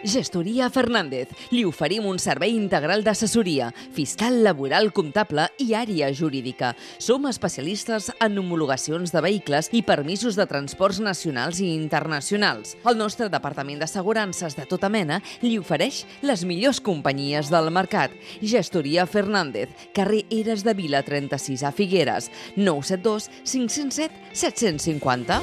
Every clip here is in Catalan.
Gestoria Fernández. Li oferim un servei integral d'assessoria, fiscal, laboral, comptable i àrea jurídica. Som especialistes en homologacions de vehicles i permisos de transports nacionals i internacionals. El nostre departament d'assegurances de tota mena li ofereix les millors companyies del mercat. Gestoria Fernández, carrer Eres de Vila 36 a Figueres, 972 507 750.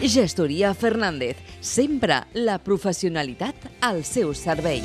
Gestoria Fernández, sempre la professionalitat al seu servei.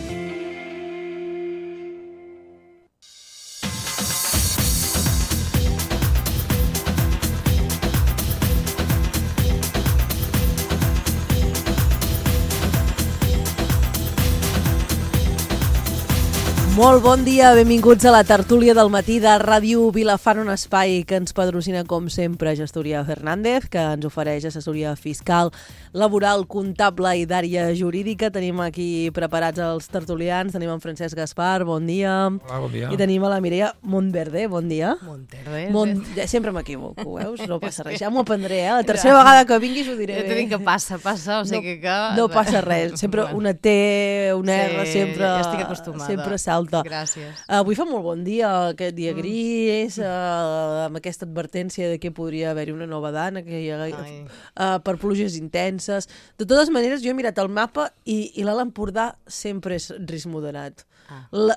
Molt bon dia, benvinguts a la tertúlia del matí de Ràdio Vilafant, un espai que ens patrocina, com sempre, Gestoria Fernández, que ens ofereix assessoria fiscal, laboral, comptable i d'àrea jurídica. Tenim aquí preparats els tertulians, tenim en Francesc Gaspar, bon dia. Hola, bon dia. I tenim a la Mireia Montverde, bon dia. Montverde. Sempre m'equivoco, veus? No passa res, ja m'ho aprendré, La tercera vegada que vinguis ho diré bé. Ja t'he dit que passa, o sigui que... No passa res, sempre una T, una R, sempre... Ja estic acostumada. Sempre salta. Gràcies. Avui fa molt bon dia, aquest dia gris, amb aquesta advertència de que podria haver-hi una nova dana per pluges intenses. De totes maneres, jo he mirat el mapa i l'Alt Empordà sempre és risc moderat.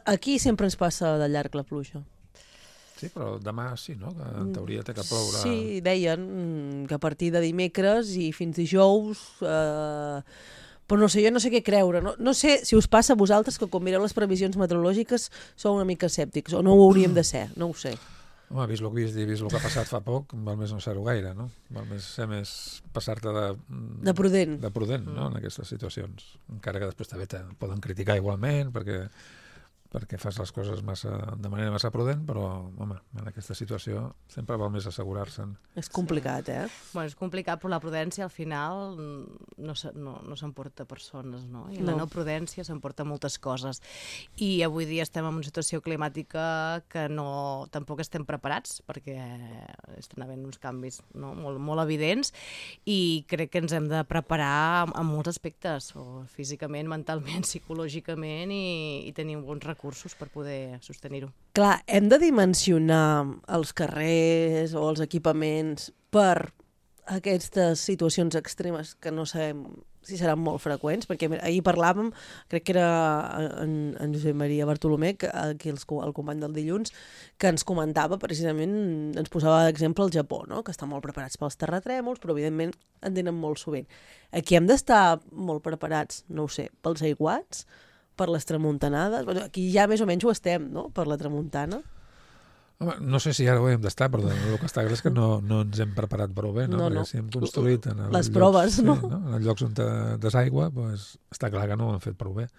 Aquí sempre ens passa de llarg la pluja. Sí, però demà sí, no? Que en teoria té que ploure... Sí, deien que a partir de dimecres i fins dijous... Però no sé, jo no sé què creure. No sé si us passa a vosaltres que quan mireu les previsions meteorològiques sou una mica escèptics, o no ho hauríem de ser, no ho sé. Home, vist el que vist i vist el que ha passat fa poc, val més no ser-ho gaire, no? Val més ser més passar-te de prudent. De prudent, no?, en aquestes situacions. Encara que després també poden criticar igualment, perquè fas les coses de manera massa prudent, però, home, en aquesta situació sempre val més assegurar-se'n. És complicat, Bueno, és complicat, però la prudència al final no s'emporta persones, no? I la no prudència s'emporta moltes coses. I avui dia estem en una situació climàtica que tampoc estem preparats, perquè estan havent uns canvis molt evidents, i crec que ens hem de preparar en molts aspectes, físicament, mentalment, psicològicament, i tenir bons recursos per poder sostenir-ho. Clar, hem de dimensionar els carrers o els equipaments per aquestes situacions extremes que no sabem si seran molt freqüents, perquè ahir parlàvem, crec que era en Josep Maria Bartolomé, aquí el company del dilluns, que ens comentava precisament, ens posava d'exemple el Japó, no? Que estan molt preparats pels terratrèmols, però evidentment en tenen molt sovint. Aquí hem d'estar molt preparats, no ho sé, pels aiguats, per les tramuntanades. Aquí ja més o menys ho estem, no?, per la tramuntana. Home, no sé si ara ho hem d'estar, però el que està clar és que no ens hem preparat prou bé, no? Perquè si hem construït en les proves, no? En els llocs on desaigua, doncs està clar que no ho hem fet prou bé.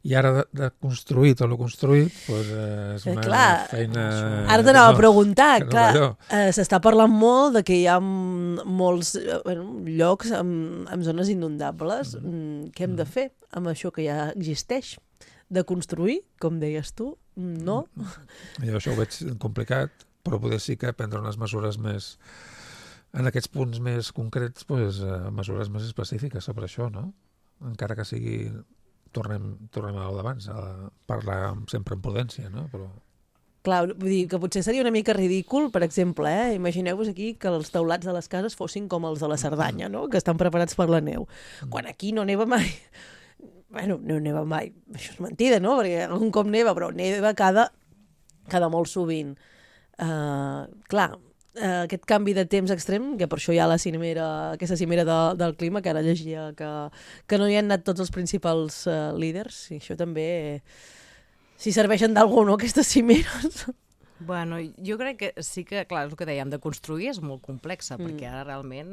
I ara de construir tot el construït, és una feina... Ara t'anava a preguntar, s'està parlant molt de que hi ha molts llocs amb zones inundables. Què hem de fer amb això que ja existeix? De construir, com deies tu, no? Jo això ho veig complicat, però poder sí que prendre unes mesures més... En aquests punts més concrets, mesures més específiques sobre això, no? Encara que sigui... Tornem a l'abans, a parlar sempre amb prudència, no? Però... Clar, vull dir que potser seria una mica ridícul, per exemple, imagineu-vos aquí que els teulats de les cases fossin com els de la Cerdanya, no?, que estan preparats per la neu. Quan aquí no neva mai. Bueno, no neva mai, això és mentida, no?, perquè algun cop neva, però neva cada molt sovint. Clar, aquest canvi de temps extrem, que per això hi ha aquesta cimera del clima, que ara llegia que no hi han anat tots els principals líders, i això també, si serveixen d'algú, no?, aquestes cimeres. Bueno, jo crec que sí que, clar, és el que dèiem, de construir és molt complexa, perquè ara realment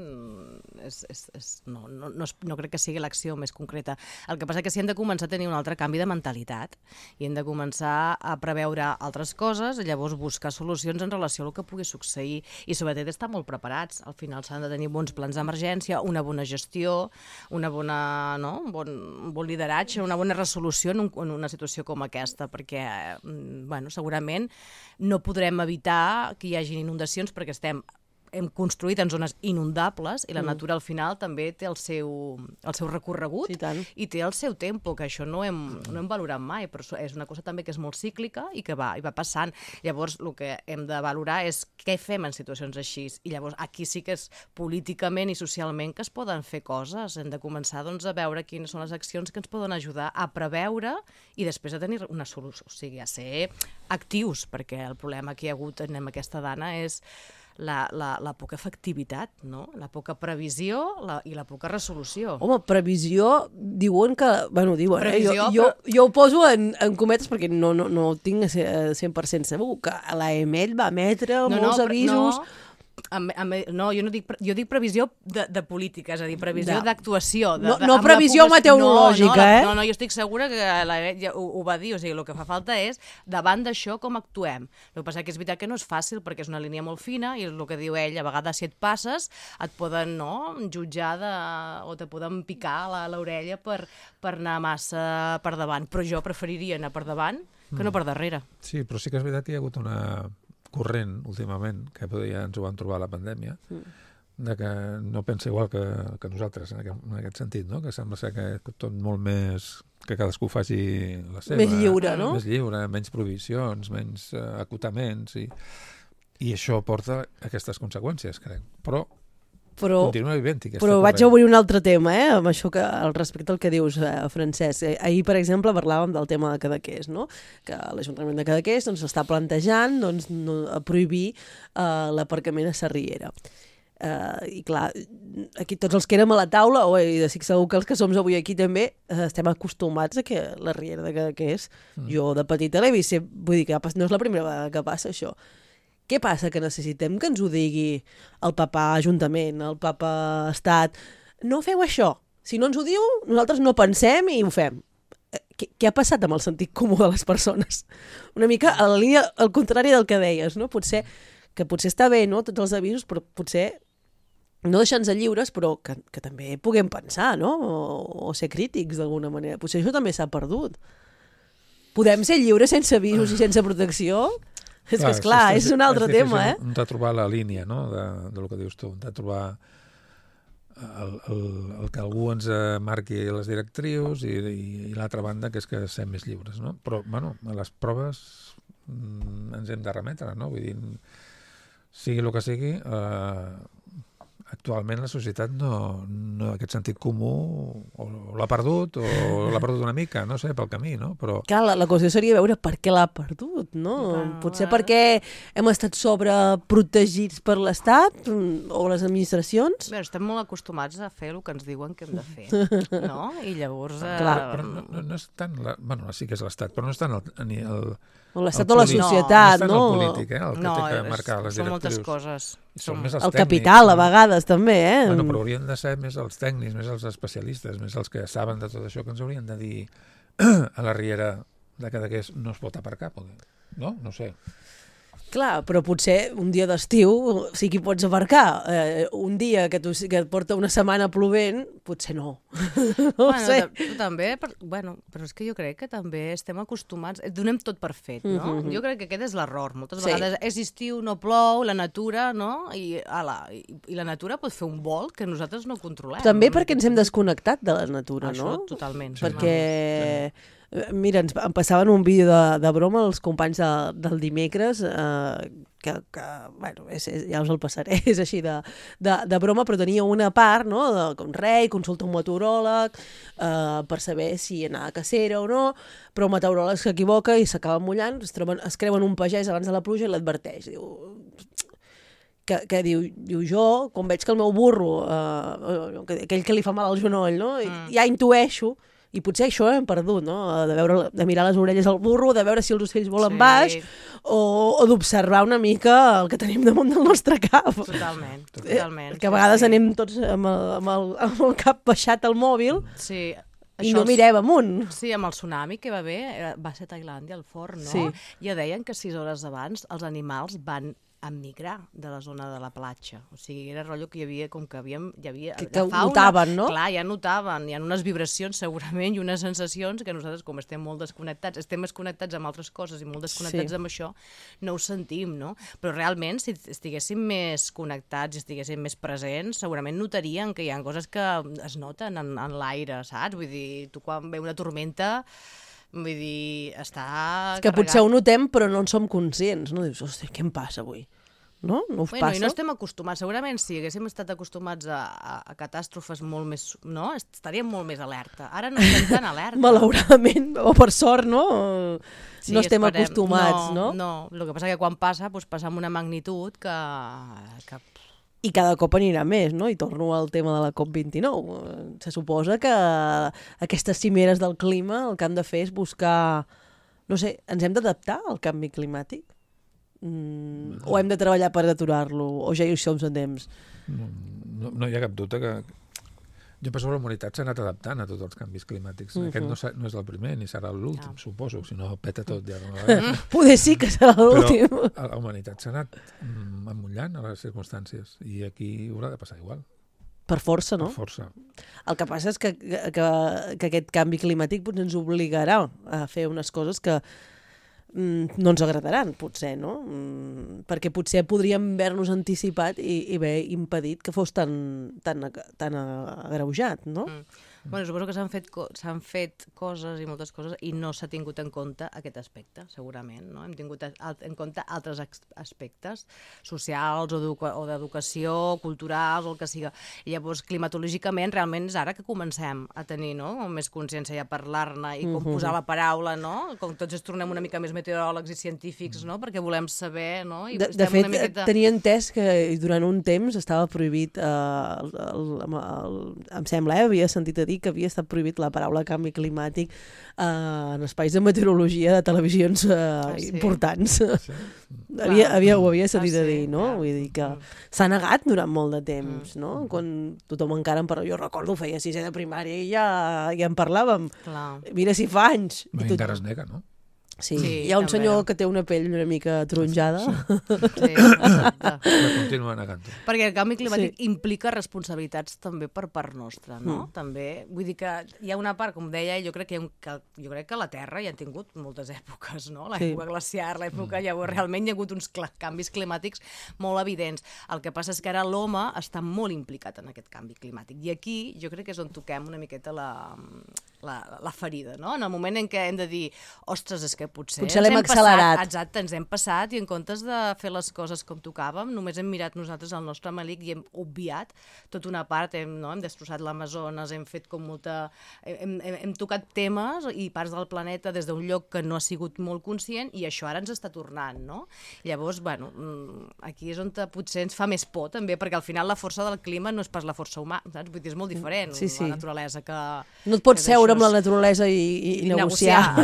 no crec que sigui l'acció més concreta. El que passa que sí hem de començar a tenir un altre canvi de mentalitat i hem de començar a preveure altres coses i llavors buscar solucions en relació al que pugui succeir i sobretot estar molt preparats. Al final s'han de tenir bons plans d'emergència, una bona gestió, un bon lideratge, una bona resolució en una situació com aquesta, perquè segurament no podrem evitar que hi hagi inundacions perquè estem hem construït en zones inundables i la natura al final també té el seu recorregut i té el seu tempo, que això no hem valorat mai, però és una cosa també que és molt cíclica i que va passant. Llavors, el que hem de valorar és què fem en situacions així. I llavors, aquí sí que és políticament i socialment que es poden fer coses. Hem de començar a veure quines són les accions que ens poden ajudar a preveure i després a tenir una solució, o sigui, a ser actius, perquè el problema que hi ha hagut en aquesta dana és la poca efectivitat, no? La poca previsió i la poca resolució. Home, previsió, diuen que... Bueno, diuen, jo ho poso en cometes perquè no ho tinc 100% segur, que l'AEMET va emetre molts avisos... No, jo dic previsió de política, és a dir, previsió d'actuació. No previsió meteorològica, No, jo estic segura que ho va dir, o sigui, el que fa falta és, davant d'això, com actuem. El que passa que és veritat que no és fàcil, perquè és una línia molt fina, i el que diu ell, a vegades si et passes, et poden jutjar o te poden picar l'orella per anar massa per davant. Però jo preferiria anar per davant que no per darrere. Sí, però sí que és veritat que hi ha hagut una corrent últimament, que ja ens ho vam trobar a la pandèmia, de que no pensa igual que nosaltres en aquest sentit, no? Que sembla ser que tot molt més... que cadascú faci la seva. Més lliure, no? Més lliure, menys provisions, menys acotaments, i això porta aquestes conseqüències, crec. Continua vivent-hi aquesta corrent. Vaig a obrir un altre tema, amb això al respecte al que dius, Francesc. Ahir, per exemple, parlàvem del tema de Cadaqués, no? Que l'Ajuntament de Cadaqués està plantejant prohibir l'aparcament a Sarriera. I clar, aquí tots els que érem a la taula, i estic segur que els que som avui aquí també, estem acostumats a que la Riera de Cadaqués, jo de petita l'he vist, vull dir que no és la primera vegada que passa això. Què passa? Que necessitem que ens ho digui el papa Ajuntament, el papa Estat. No feu això. Si no ens ho diu, nosaltres no pensem i ho fem. Què ha passat amb el sentit comú de les persones? Una mica a la línia al contrari del que deies, no? Potser està bé, no?, tots els avisos, però potser no deixar-nos lliures, però que també puguem pensar, no? O ser crítics d'alguna manera. Potser això també s'ha perdut. Podem ser lliures sense avisos i sense protecció? És que, esclar, és un altre tema, Hem de trobar la línia, no?, del que dius tu. Hem de trobar el que algú ens marqui les directrius i l'altra banda, que és que sem més lliures, no? Però, bueno, a les proves ens hem de remetre, no? Vull dir, sigui el que sigui, actualment la societat no aquest sentit comú o l'ha perdut una mica, no sé, pel camí, no? Però... Clar, la qüestió seria veure per què l'ha perdut, no? Potser perquè hem estat sobreprotegits per l'Estat o les administracions. Bé, estem molt acostumats a fer el que ens diuen que hem de fer, no? I llavors... Però no és tant... Bueno, sí que és l'Estat, però no és tant l'Estat o la societat, no? El polític, el que té que marcar les directrius. Són moltes coses. Són més els el tècnics. capital, a vegades, també, Bueno, però haurien de ser més els tècnics, més els especialistes, més els que saben de tot això, que ens haurien de dir a la Riera de Cadaqués no es pot aparcar, no? No sé. Clar, però potser un dia d'estiu sí que hi pots aparcar. Un dia que et porta una setmana plovent, potser no. No sé. També, però és que jo crec que també estem acostumats, donem tot per fet, no? Jo crec que aquest és l'error. Moltes vegades és estiu, no plou, la natura, no? I la natura pot fer un volt que nosaltres no controlem. També perquè ens hem desconnectat de la natura, no? Això, totalment. Perquè... Mira, em passaven un vídeo de broma els companys del dimecres que bueno, ja us el passaré, és així de broma, però tenia una part, no?, que un rei consulta un meteoròleg per saber si anar a cacera o no, però el meteoròleg s'equivoca i s'acaba mullant, es creuen un pagès abans de la pluja i l'adverteix. Que diu jo, quan veig que el meu burro, aquell que li fa mal al genoll, no?, ja intueixo. I potser això hem perdut, no? De mirar les orelles al burro, de veure si els ocells volen baix, o d'observar una mica el que tenim damunt del nostre cap. Totalment. Que a vegades anem tots amb el cap baixat al mòbil i no mirem amunt. Sí, amb el tsunami que va haver, va ser a Tailàndia, al Forn, no? Ja deien que 6 hores abans els animals van emigrar de la zona de la platja. O sigui, era rotllo que hi havia, com que hi havia Que la fauna, notaven, no? Clar, ja notaven, hi ha unes vibracions segurament i unes sensacions que nosaltres, com estem molt desconnectats, estem més connectats amb altres coses i molt desconnectats amb això, no ho sentim, no? Però realment, si estiguéssim més connectats i estiguéssim més presents, segurament notarien que hi ha coses que es noten en l'aire, saps? Vull dir, tu quan ve una tormenta, vull dir, està És que potser ho notem però no en som conscients, no? Dius, hosti, què em passa avui? No? No us passa? I no estem acostumats. Segurament si haguéssim estat acostumats a catàstrofes molt més... No? Estaríem molt més alerta. Ara no estem tan alerta. Malauradament, o per sort, no? Sí, no estem esperem. acostumats, no? No, el que passa que quan passa amb una magnitud que I cada cop anirà més, no? I torno al tema de la COP29. Se suposa que aquestes cimeres del clima el que han de fer és buscar... No sé, ens hem d'adaptar al canvi climàtic? O hem de treballar per aturar-lo? O ja hi som a temps? No hi ha cap dubte que... Jo penso que la humanitat s'ha anat adaptant a tots els canvis climàtics. Aquest no és el primer ni serà l'últim, suposo, si no peta tot ja. Poder sí que serà l'últim. Però la humanitat s'ha anat emmotllant a les circumstàncies i aquí haurà de passar igual. Per força, no? Per força. El que passa és que aquest canvi climàtic potser ens obligarà a fer unes coses que no ens agradaran, potser, no? Perquè potser podríem haver-nos anticipat i haver impedit que fos tan agreujat, no? Bueno, suposo que s'han fet coses i moltes coses i no s'ha tingut en compte aquest aspecte, segurament, no? Hem tingut en compte altres aspectes socials o d'educació, culturals o el que siga. I llavors, climatològicament, realment és ara que comencem a tenir, no?, més consciència i a parlar-ne i com posar la paraula, no? Com tots ens tornem una mica més meteoròlegs i científics, no?, perquè volem saber, no? I de fet, tenia entès que durant un temps estava prohibit, em sembla, havia sentit a dir que havia estat prohibit la paraula canvi climàtic en espais de meteorologia de televisions importants. Sí. Ho havia sentit a dir, no? Vull dir que s'ha negat durant molt de temps, no? Quan tothom encara en parla. Jo recordo, feia sisè de primària i ja en parlàvem. Clar. Mira si fa anys. Encara es nega, no? Sí, hi ha un senyor que té una pell una mica taronjada. Sí, exacte. Però continua negant-ho. Perquè el canvi climàtic implica responsabilitats també per part nostra, no? També, vull dir que hi ha una part, com deia, jo crec que la Terra ja ha tingut moltes èpoques, no? L'època glaciar, l'època llavors realment hi ha hagut uns canvis climàtics molt evidents. El que passa és que ara l'home està molt implicat en aquest canvi climàtic. I aquí jo crec que és on toquem una miqueta la ferida, no? En el moment en què hem de dir, ostres, és que potser l'hem accelerat. Exacte, ens hem passat i en comptes de fer les coses com tocàvem, només hem mirat nosaltres el nostre melic i hem obviat tota una part, hem destrossat l'Amazones, hem fet com molta... Hem tocat temes i parts del planeta des d'un lloc que no ha sigut molt conscient i això ara ens està tornant, no? Llavors, bueno, aquí és on potser ens fa més por també, perquè al final la força del clima no és pas la força humana, saps? Vull dir, és molt diferent, la naturalesa que... No et pots seure amb la naturalesa i negociar.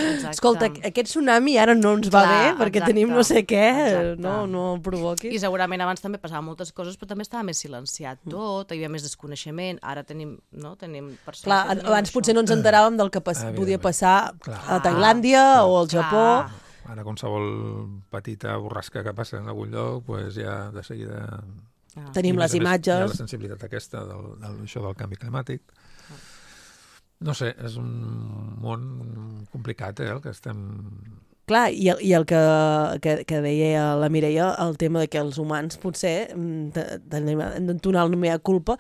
Exacte. Escolta, aquest tsunami ara no ens va bé perquè tenim no sé què, no el provoquis. I segurament abans també passaven moltes coses, però també estava més silenciat tot, hi havia més desconeixement, ara tenim persones... Clar, abans potser no ens enteràvem del que podia passar a Tailàndia o al Japó. Ara qualsevol petita borrasca que passa en algun lloc, ja de seguida... Tenim les imatges. Hi ha la sensibilitat aquesta d'això del canvi climàtic. No sé, és un món complicat, el que estem... Clar, i el que deia la Mireia, el tema de que els humans potser hem d'entonar el mea culpa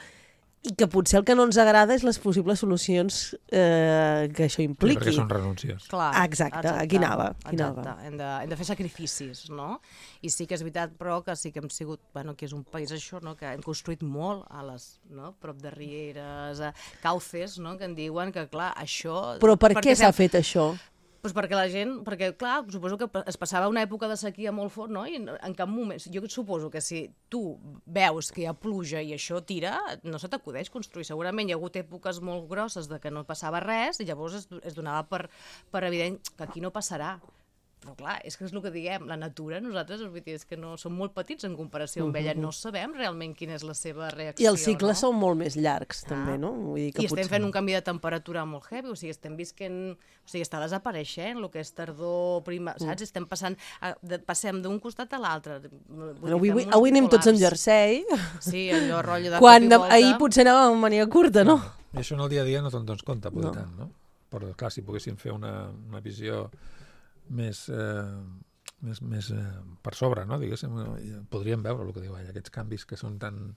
i que potser el que no ens agrada és les possibles solucions que això impliqui. Perquè són renúncies. Clar, exacte, aquí anava. Hem de fer sacrificis, no? I sí que és veritat, però, que sí que hem sigut, que és un país això, no? Que hem construït molt prop de rieres, cauces, no? Que en diuen que, clar, això... Però per què s'ha fet això? Doncs perquè, clar, suposo que es passava una època de sequia molt fort, no? I en cap moment... Jo suposo que si tu veus que hi ha pluja i això tira, no se t'acudeix construir. Segurament hi ha hagut èpoques molt grosses de que no passava res i llavors es donava per evident que aquí no passarà. Però clar, és que és el que diguem, la natura, nosaltres, vull dir, és que no som molt petits en comparació amb ella, no sabem realment quina és la seva reacció. I els cicles són molt més llargs, també, no? Vull dir que I estem fent un canvi de temperatura molt heavy, o sigui, estem visquent, o sigui, està desapareixent el que és tardor, saps? Estem passem d'un costat a l'altre. Avui anem tots en jersei. Sí, allò rotllo de quan cop i volta. ahir potser anàvem amb mania curta, no? I això en el dia a dia no te'n dones compte, poder tant, no? Però, clar, si poguéssim fer una visió més per sobre, no? Diguéssim, podríem veure el que diu ella, aquests canvis que són tan...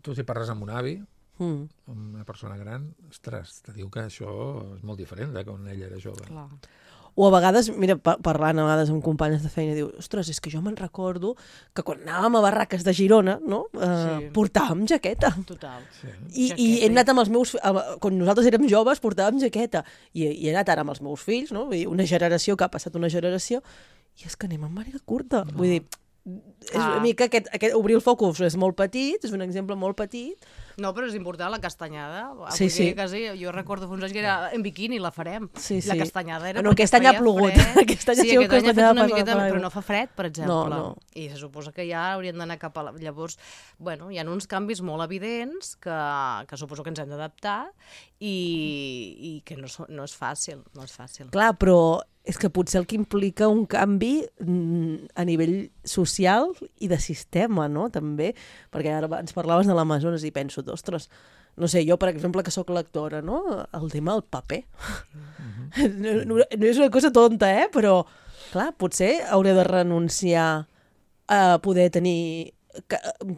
Tu si parles amb un avi, amb una persona gran, ostres, te diu que això és molt diferent de quan ella era jove. Clar. O a vegades, mira, parlant a vegades amb companyes de feina, diu, ostres, és que jo me'n recordo que quan anàvem a Barraques de Girona, no? Portàvem jaqueta. Total. Sí. I he anat amb els meus... Quan nosaltres érem joves portàvem jaqueta. I he anat ara amb els meus fills, no? Vull dir, una generació que ha passat una generació, i és que anem amb màniga curta. Vull dir, és una mica aquest obrir el focus és molt petit, és un exemple molt petit. No, però és important, la castanyada. Sí, sí. Quasi, jo recordo fa uns anys que era en biquini, la farem. Sí, sí. La castanyada era... Bueno, aquest any ha plogut. Aquest any ha fet una miqueta, però no fa fred, per exemple. No. I se suposa que ja haurien d'anar cap a... Llavors, bueno, hi ha uns canvis molt evidents que suposo que ens hem d'adaptar i que no és fàcil, no és fàcil. Clar, però és que potser el que implica un canvi a nivell social i de sistema, no?, també, perquè ara ens parlaves de l'Amazones i penso, ostres, no sé, jo, per exemple, que sóc lectora, no?, el tema del paper. No és una cosa tonta, però, clar, potser hauré de renunciar a poder tenir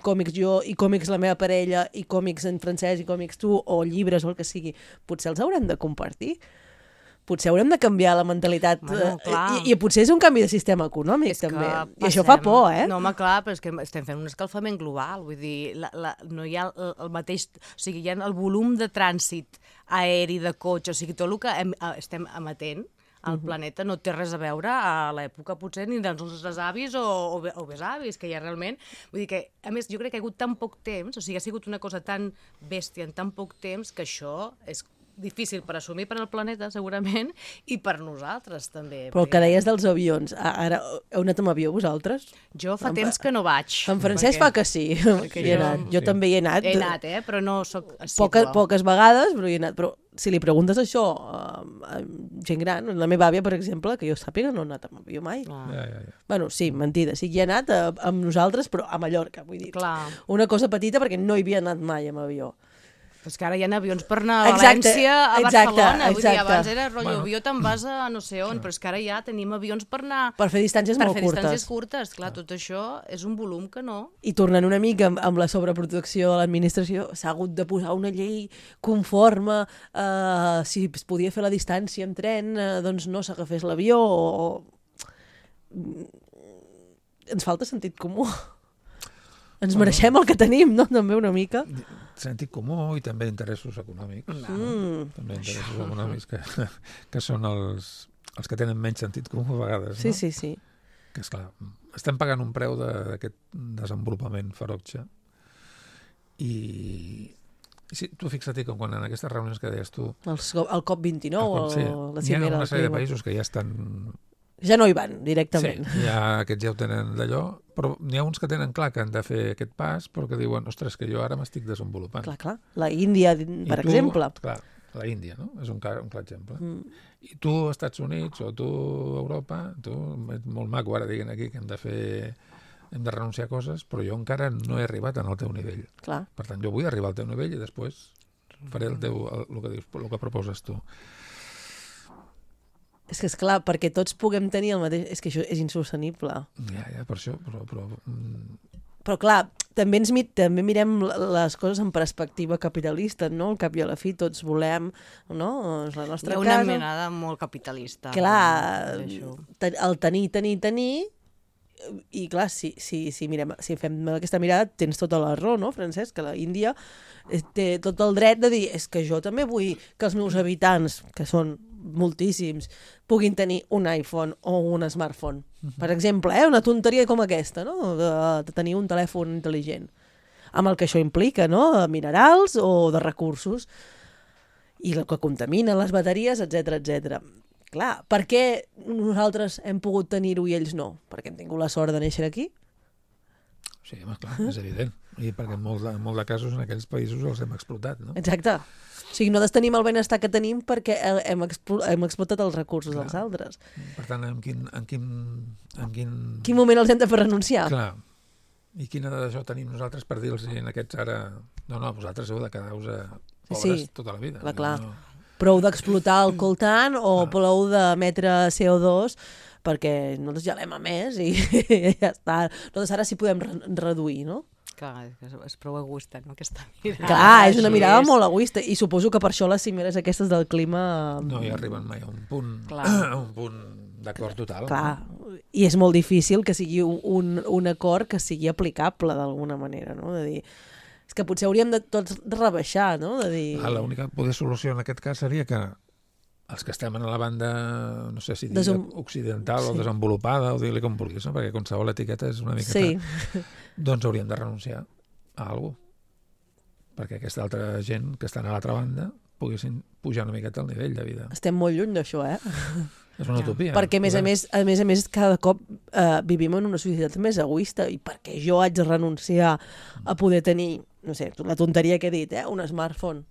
còmics jo i còmics la meva parella i còmics en francès i còmics tu o llibres o el que sigui. Potser els haurem de compartir. Potser haurem de canviar la mentalitat i potser és un canvi de sistema econòmic també. I això fa por, No, home, clar, però és que estem fent un escalfament global, vull dir, no hi ha el mateix, o sigui, hi ha el volum de trànsit aeri, de cotxe, o sigui, tot el que estem emetent al planeta no té res a veure a l'època potser ni dels nostres avis o besavis, que ja realment... Vull dir que, a més, jo crec que ha hagut tan poc temps, o sigui, ha sigut una cosa tan bèstia en tan poc temps que això és difícil per assumir per al planeta, segurament, i per nosaltres, també. Però el que deies dels avions, ara heu anat amb avió, vosaltres? Jo fa temps que no vaig. En Francesc fa que sí. Jo també hi he anat. He anat, però no soc assiduo. Poques vegades, però hi he anat. Però si li preguntes això a gent gran, la meva àvia, per exemple, que jo sàpiga, no ha anat amb avió mai. Bueno, sí, mentida, sí que hi he anat amb nosaltres, però a Mallorca, vull dir. Una cosa petita perquè no hi havia anat mai amb avió. És que ara hi ha avions per anar a València, a Barcelona. Vull dir, abans era rotllo avió, te'n vas a no sé on, però és que ara ja tenim avions per anar... Per fer distàncies molt curtes. Per fer distàncies curtes, clar, tot això és un volum que no... I tornant una mica amb la sobreprotecció de l'administració, s'ha hagut de posar una llei conforme, si es podia fer la distància amb tren, doncs no s'agafés l'avió, Ens falta sentit comú. Ens mereixem el que tenim, no? També una mica... Sentit comú i també interessos econòmics. També interessos econòmics que són els que tenen menys sentit comú a vegades. Sí. Que, esclar, estem pagant un preu d'aquest desenvolupament ferotge. I sí, tu fixa't que quan en aquestes reunions que deies tu... El COP29 sí, o la cimera... Hi ha una sèrie de clima. països que ja estan... Ja no hi van, directament. Sí, aquests ja ho tenen d'allò, però n'hi ha uns que tenen clar que han de fer aquest pas, però que diuen, ostres, que jo ara m'estic desenvolupant. Clar. La Índia, per exemple. Clar, la Índia, no? És un clar exemple. I tu, Estats Units, o tu, Europa, és molt maco ara diguin aquí que hem de renunciar a coses, però jo encara no he arribat al teu nivell. Clar. Per tant, jo vull arribar al teu nivell i després faré el que proposes tu. És que, esclar, perquè tots puguem tenir el mateix... És que això és insostenible. Ja, per això, Però, clar, també mirem les coses en perspectiva capitalista, no? Al cap i a la fi tots volem, no? És la nostra casa. Hi ha una menada molt capitalista. Clar, el tenir... I, clar, si fem aquesta mirada, tens tota la raó, no, Francesc? Que la Índia té tot el dret de dir és que jo també vull que els meus habitants, que són moltíssims, puguin tenir un iPhone o un smartphone. Per exemple, una tonteria com aquesta, no? De tenir un telèfon intel·ligent. Amb el que això implica, no? De minerals o de recursos. I el que contamina, les bateries, etc. Clar, per què nosaltres hem pogut tenir-ho i ells no? Perquè hem tingut la sort de néixer aquí? Sí, home, clar, és evident. I perquè en molt de casos en aquells països els hem explotat, no? Exacte. O sigui, nosaltres tenim el benestar que tenim perquè hem explotat els recursos dels altres. Per tant, en Quin moment els hem de fer renunciar? Clar. I quina d'això tenim nosaltres per dir-los a aquests ara... No, vosaltres heu de quedar-vos pobres tota la vida. Clar. Prou d'explotar el coltan o prou d'emetre CO2 perquè nosaltres ja l'hem emès i ja està. Nosaltres ara sí podem reduir, no? Clar, és prou egoista, no?, aquesta mirada. Clar, és una mirada molt egoista i suposo que per això les cimeres aquestes del clima... No hi arriben mai a un punt d'acord total. Clar, i és molt difícil que sigui un acord que sigui aplicable d'alguna manera, no? De dir... És que potser hauríem de tots rebaixar, no? De dir... L'única solució en aquest cas seria que els que estem en la banda, no sé si dir occidental o desenvolupada, o dir-li com vulguis, no? Perquè qualsevol etiqueta és una miqueta... Sí. Doncs hauríem de renunciar a alguna cosa. Perquè aquesta altra gent que estan a l'altra banda poguessin pujar una miqueta el nivell de vida. Estem molt lluny d'això, És una utopia. Perquè, a més a més, cada cop vivim en una societat més egoista i perquè jo haig de renunciar a poder tenir, no sé, la tonteria que he dit, un smartphone,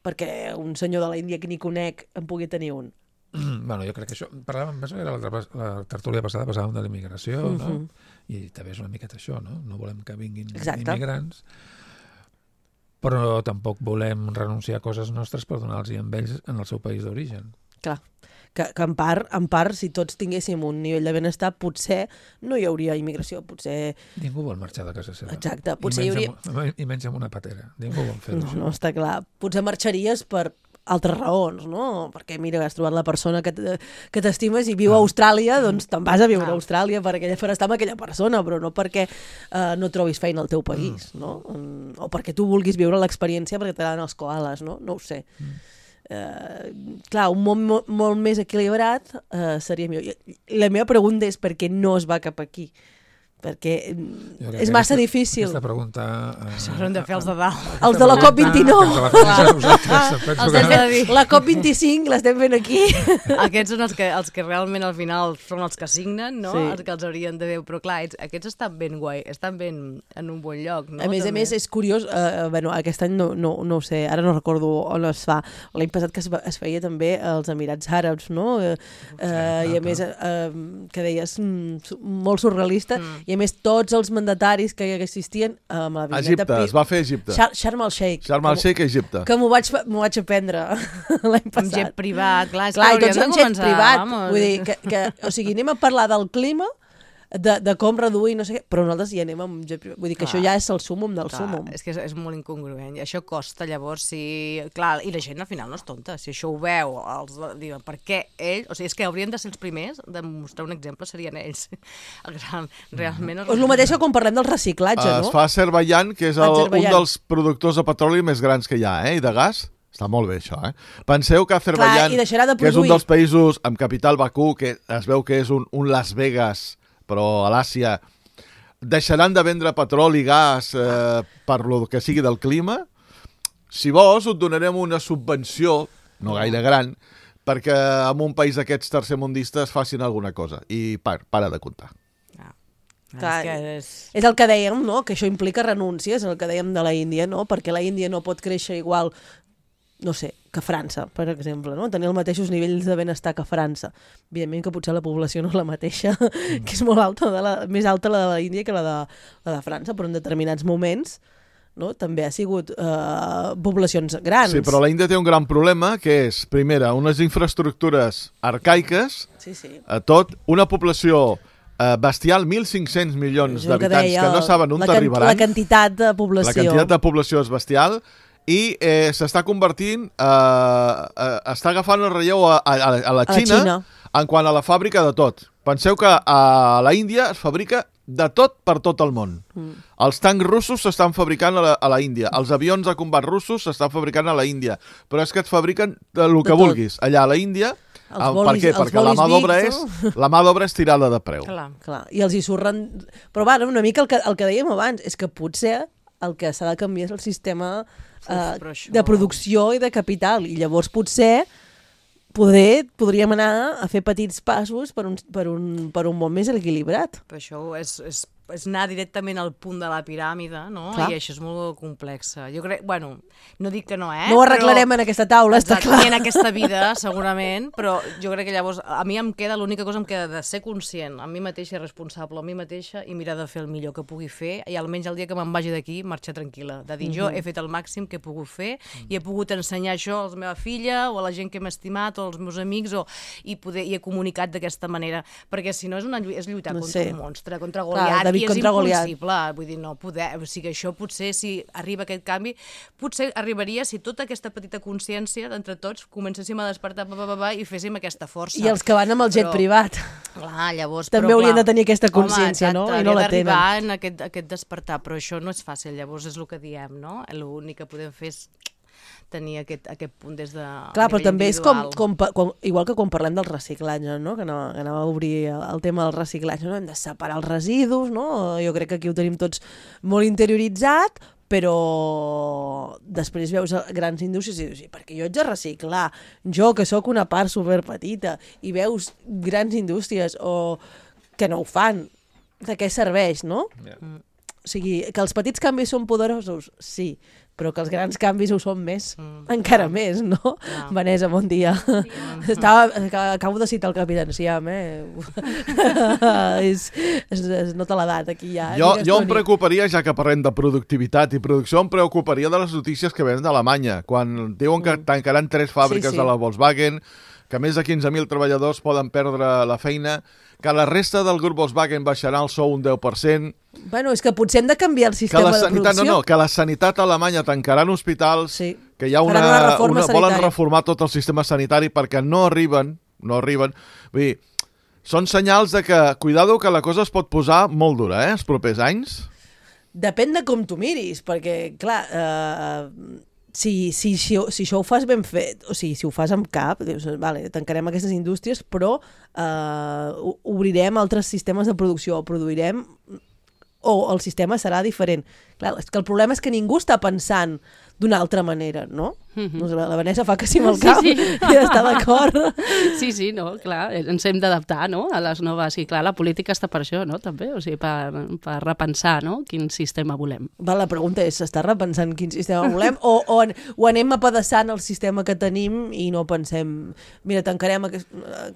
perquè un senyor de l'Índia que ni conec en pugui tenir un. Bueno, jo crec que això... Parlàvem, penso que era la tertúlia passada, parlàvem de la immigració, no? I també és una miqueta això, no? No volem que vinguin immigrants, però tampoc volem renunciar a coses nostres per donar-los a ells en el seu país d'origen. Clar, que en part, si tots tinguéssim un nivell de benestar, potser no hi hauria immigració, potser... Ningú vol marxar de casa seva. Exacte, potser hi hauria... I menys amb una patera. Ningú vol fer-ho. No, està clar. Potser marxaries per altres raons, no? Perquè, mira, has trobat la persona que t'estimes i viu a Austràlia, doncs te'n vas a viure a Austràlia perquè faràs estar amb aquella persona, però no perquè no trobis feina al teu país, no? O perquè tu vulguis viure l'experiència perquè t'agraden els koalas, no? No ho sé. Clar, un món molt més equilibrat seria millor. La meva pregunta és per què no es va cap aquí? Perquè és massa difícil. Aquesta pregunta... Això haurem de fer els de dalt. Els de la COP29. La COP25 l'estem fent aquí. Aquests són els que realment al final són els que signen, no? Els que els haurien de veure. Però clar, aquests estan ben guai, estan ben en un bon lloc, no? A més, és curiós, aquest any no ho sé, ara no recordo on es fa. L'any passat que es feia també als Emirats Àrabs, no? I a més, que deies, molt surrealista, i a més tots els mandataris que existien amb la Egipte, es va fer a Egipte. Sharm el-Sheikh. Sharm el-Sheikh a Egipte. Que m'ho vaig aprendre l'any passat. Amb jet privat, clar, i tots amb jet privat. Vull dir, o sigui, anem a parlar del clima, de com reduir, no sé què, però nosaltres hi anem amb jet privat. Vull dir que això ja és el súmum del súmum. És que és molt incongruent. Això costa, llavors, clar, i la gent al final no és tonta. Si això ho veu, diuen, per què ells... O sigui, és que haurien de ser els primers de mostrar un exemple, serien ells. Realment... És el mateix que quan parlem del reciclatge, no? Es fa a Azerbaidjan, que és un dels productors de petroli més grans que hi ha, i de gas. Està molt bé, això, Penseu que Azerbaidjan, que és un dels països amb capital Bakú, que es veu que és un Las Vegas, però a l'Àsia, deixaran de vendre petroli i gas per lo que sigui del clima. Si vols, et donarem una subvenció, no gaire gran, perquè en un país d'aquests tercermundistes facin alguna cosa. I para de comptar. Clar, és el que dèiem, no? Que això implica renúncies, el que dèiem de la Índia, no? Perquè la Índia no pot créixer igual, no sé, que França, per exemple, no? Tenir els mateixos nivells de benestar que França. Evidentment que potser la població no és la mateixa, que és molt alta, més alta la de la Índia que la de França, però en determinats moments, no? També ha sigut poblacions grans. Sí, però la Índia té un gran problema, que és, primera, unes infraestructures arcaiques, una població bestial, 1.500 milions d'habitants que no saben on arribaran. La quantitat de població. La quantitat de població és bestial i s'està convertint, està agafant el relleu a la Xina en quant a la fàbrica de tot. Penseu que a la Índia es fabrica de tot per tot el món. Els tancs russos s'estan fabricant a la Índia, els avions de combat russos s'estan fabricant a la Índia, però és que et fabriquen el que vulguis allà a la Índia. Per què? Perquè la mà d'obra és tirada de preu. Clar. I els hi surren... Però va, una mica el que dèiem abans, és que potser el que s'ha de canviar és el sistema de producció i de capital, i llavors potser podríem anar a fer petits passos per un món més equilibrat. Però això és anar directament al punt de la piràmide, no? Clar. I això és molt complex. Jo crec, bueno, no dic que no, No ho arreglarem en aquesta taula, està clar. Ni en aquesta vida, segurament, però jo crec que llavors a mi l'única cosa em queda de ser conscient, a mi mateixa, responsable a mi mateixa, i mirar de fer el millor que pugui fer, i almenys el dia que me'n vagi d'aquí, marxar tranquil·la. De dir, jo he fet el màxim que he pogut fer, i he pogut ensenyar això a la meva filla, o a la gent que m'ha estimat, o als meus amics, i he comunicat d'aquesta manera, perquè si no és lluitar contra un monstre, contra Goliat, i és impossible, vull dir, no poder, o sigui, això potser si arriba aquest canvi, potser arribaria si tota aquesta petita consciència d'entre tots comencéssim a despertar i féssim aquesta força. I els que van amb el jet privat. Clar, llavors... També haurien de tenir aquesta consciència, no? I no la tenen. D'arribar en aquest despertar, però això no és fàcil, llavors és el que diem, no? L'únic que podem fer és tenir aquest punt des de clar, però també és igual que quan parlem del reciclatge, no? Que anava a obrir el tema del reciclatge, no? Hem de separar els residus, no? Jo crec que aquí ho tenim tots molt interioritzat, però després veus grans indústries i dius, perquè jo haig de reciclar, jo que sóc una part superpetita, i veus grans indústries que no ho fan, de què serveix, no? Yeah. O sigui, que els petits canvis són poderosos, sí, però que els grans canvis ho són més, encara més, no? Yeah. Vanessa, bon dia. Acabo de citar el Capitán Siam, es nota l'edat aquí ja. Jo em preocuparia, ja que parlem de productivitat i producció, em preocuparia de les notícies que venen d'Alemanya, quan diuen que tancaran 3 fàbriques de la Volkswagen, que més de 15.000 treballadors poden perdre la feina, que la resta del grup Volkswagen baixarà el sou un 10%. Bueno, és que potser hem de canviar el sistema de producció. Que la sanitat alemanya tancaran hospitals, que hi ha volen reformar tot el sistema sanitari perquè no arriben. Vull dir, són senyals de que, cuidado, que la cosa es pot posar molt dura, els propers anys. Depèn de com tu miris, perquè, clar... Si això ho fas ben fet, o sigui, si ho fas amb cap, dius, vale, tancarem aquestes indústries, però obrirem altres sistemes de producció, o produirem, o el sistema serà diferent. Clar, és que el problema és que ningú està pensant d'una altra manera, no? La Vanessa fa que sí amb el cap i està d'acord. Sí, no, clar, ens hem d'adaptar, no?, a les noves, i clar, la política està per això, no?, també, o sigui, per repensar, no?, quin sistema volem. La pregunta és, s'està repensant quin sistema volem o anem apedaçant el sistema que tenim i no pensem, mira, tancarem,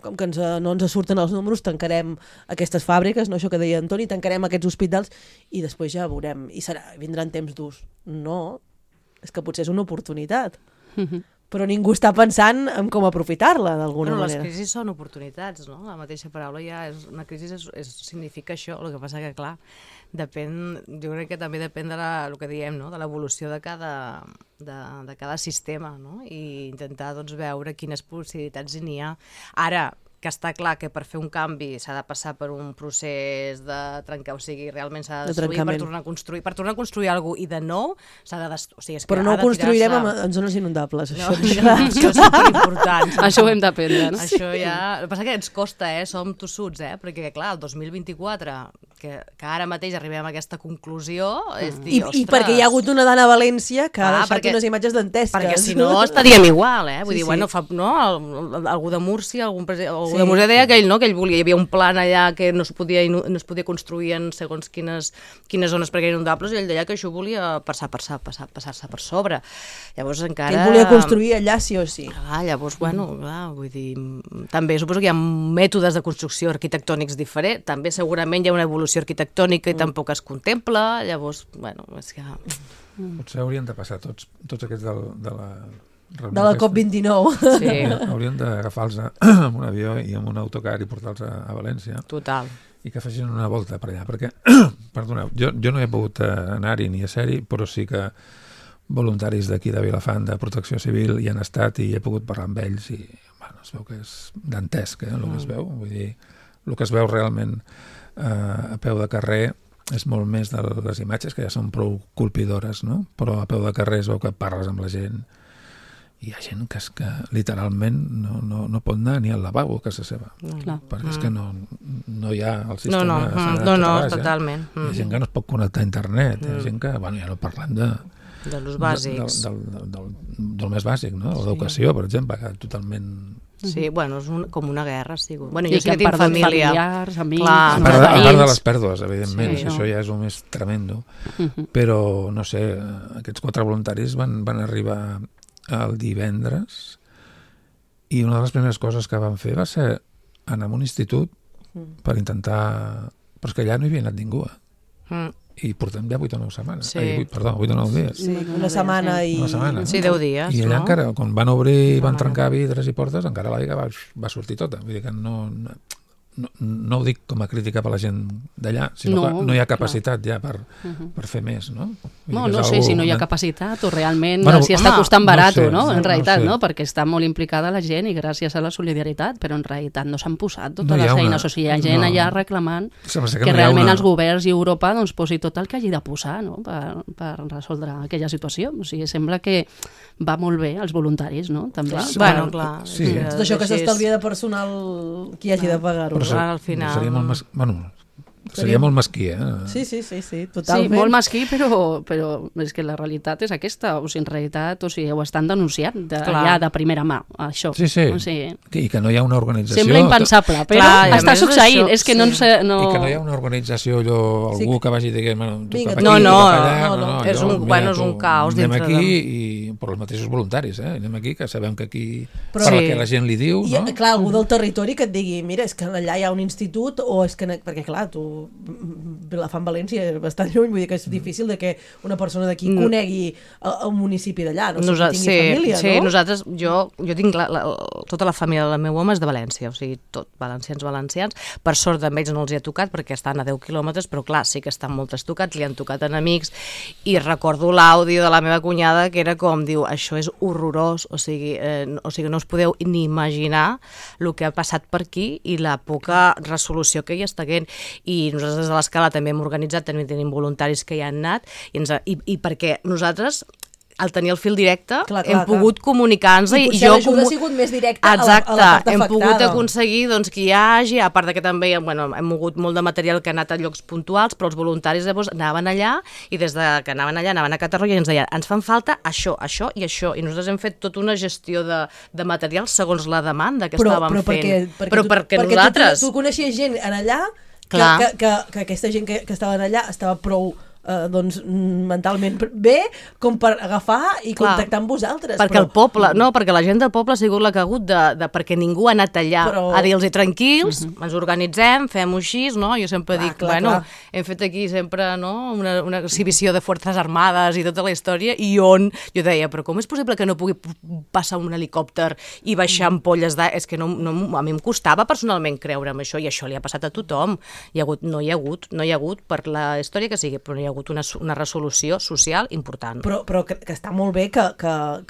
com que no ens surten els números, tancarem aquestes fàbriques, no, això que deia Antoni, tancarem aquests hospitals i després ja veurem, i vindran temps durs. No, és que potser és una oportunitat. Però ningú està pensant en com aprofitar-la d'alguna manera. Les crisis són oportunitats, no? La mateixa paraula ja és... Una crisi significa això, el que passa que, clar, jo crec que també depèn de el que diem, no?, de l'evolució de cada sistema, no? I intentar, doncs, veure quines possibilitats n'hi ha. Ara, que està clar que per fer un canvi s'ha de passar per un procés de trencar, o sigui, realment s'ha de destruir per tornar a construir. Per tornar a construir alguna cosa i de nou s'ha de destruir. O sigui, però no ho construirem en zones inundables, això. Això és superimportant. Això ho hem d'aprendre, no? Això ja... El que passa que ens costa, som tossuts, perquè, clar, el 2024, que ara mateix arribem a aquesta conclusió, és dir, ostres... I perquè hi ha hagut una dona a València que ha deixat unes imatges dantesques. Perquè si no estaríem igual, Vull dir, bueno, algú de Múrcia, algú de Múrcia deia que ell volia, hi havia un plan allà que no es podia construir en segons quines zones perquè eren inundables, i ell deia que això volia passar-se per sobre. Llavors encara... Ell volia construir allà sí o sí. Llavors, bueno, vull dir, també suposo que hi ha mètodes de construcció arquitectònics diferents, també segurament hi ha una evolució arquitectònica i tampoc es contempla, llavors, bueno, és que... Potser haurien de passar tots aquests de la COP29. Sí. Haurien d'agafar-los amb un avió i amb un autocar i portar-los a València. Total. I que facin una volta per allà, perquè, perdoneu, jo no he pogut anar-hi ni a ser-hi, però sí que voluntaris d'aquí de Vilafant, de Protecció Civil, hi han estat i he pogut parlar amb ells i, bueno, es veu que és dantesc, el que es veu. Vull dir, el que es veu realment a peu de carrer és molt més de les imatges, que ja són prou colpidores, no? Però a peu de carrer es veu que parles amb la gent. Hi ha gent que és que literalment no pot anar ni al lavabo a casa seva, perquè és que no hi ha el sistema no, totalment. Hi ha gent que no es pot connectar a internet, hi ha gent que, bueno, ja no parlem De l'ús bàsics. Del més bàsic, no? L'educació, per exemple, que totalment... Sí, bueno, és com una guerra, sí. Bueno, jo sí que tinc família. Familiars, amics... A part de les pèrdues, evidentment, això ja és el més tremendo. Però, no sé, aquests 4 voluntaris van arribar el divendres i una de les primeres coses que van fer va ser anar a un institut per intentar... Però és que allà no hi havia anat ningú, i portem ja 8 o 9 setmanes. 8 o 9 dies. Sí, una setmana i... Sí, 10 dies. I allà encara, quan van obrir i van trencar vidres i portes, encara l'aigua va sortir tota. Vull dir que no ho dic com a crítica per la gent d'allà, sinó que no hi ha capacitat ja per fer més, no? No sé si no hi ha capacitat o realment si està costant barat, no? En realitat, no? Perquè està molt implicada la gent i gràcies a la solidaritat, però en realitat no s'han posat totes les eines. O sigui, hi ha gent allà reclamant que realment els governs i Europa posi tot el que hagi de posar per resoldre aquella situació. O sigui, sembla que va molt bé als voluntaris, no? També. Bueno, clar. Tot això que s'estalvia de personal qui hagi de pagar-ho. Al final... Seria molt mesquí, Sí, totalment. Sí, molt mesquí, però és que la realitat és aquesta. O sigui, en realitat, ho estan denunciant allà de primera mà, això. Sí. O sigui, i que no hi ha una organització... Sembla impensable, però està succeint. És que no... I que no hi ha una organització, algú que vagi dient... No. És un caos dintre de... Anem aquí, però els mateixos voluntaris, anem aquí, que sabem que aquí... Per que la gent li diu... Clar, algú del territori que et digui, mira, és que allà hi ha un institut, o és que... Perquè, clar, tu Vilafant València és bastant lluny, vull dir que és difícil de que una persona d'aquí conegui un municipi d'allà, no sé si tingui família, no? Sí, nosaltres, jo tinc tota la família del meu home és de València, o sigui, tot valencians. Per sort amb ells no els hi ha tocat perquè estan a 10 quilòmetres, però clar, sí que estan moltes tocats, li han tocat enemics, i recordo l'àudio de la meva cunyada que era com, diu, això és horrorós, o sigui, no us podeu ni imaginar el que ha passat per aquí i la poca resolució que hi està havent. I nosaltres des de l'Escala també hem organitzat, també tenim voluntaris que hi han anat, i perquè nosaltres, al tenir el fil directe, hem pogut comunicar-nos i potser l'ajuda ha sigut més directa a la part afectada. Hem pogut aconseguir que hi hagi, a part que també hem mogut molt de material que ha anat a llocs puntuals, però els voluntaris anaven allà i des que anaven allà anaven a Catarroja i ens deien, ens fan falta això, això i això, i nosaltres hem fet tota una gestió de material segons la demanda que estàvem fent. Però perquè nosaltres... Tu coneixies gent allà que aquesta gent que estaven allà estava prou mentalment bé com per agafar i contactar amb vosaltres. Perquè el poble, perquè la gent del poble ha sigut la que ha hagut perquè ningú ha anat allà a dir-los tranquils, ens organitzem, fem-ho així, no? Jo sempre dic, hem fet aquí sempre una exhibició de forces armades i tota la història, i jo deia, però com és possible que no pugui passar un helicòpter i baixar ampolles d'aigua? És que a mi em costava personalment creure'm això, i això li ha passat a tothom. No hi ha hagut per la història que sigui, però no hi ha hagut una resolució social important. Però que està molt bé que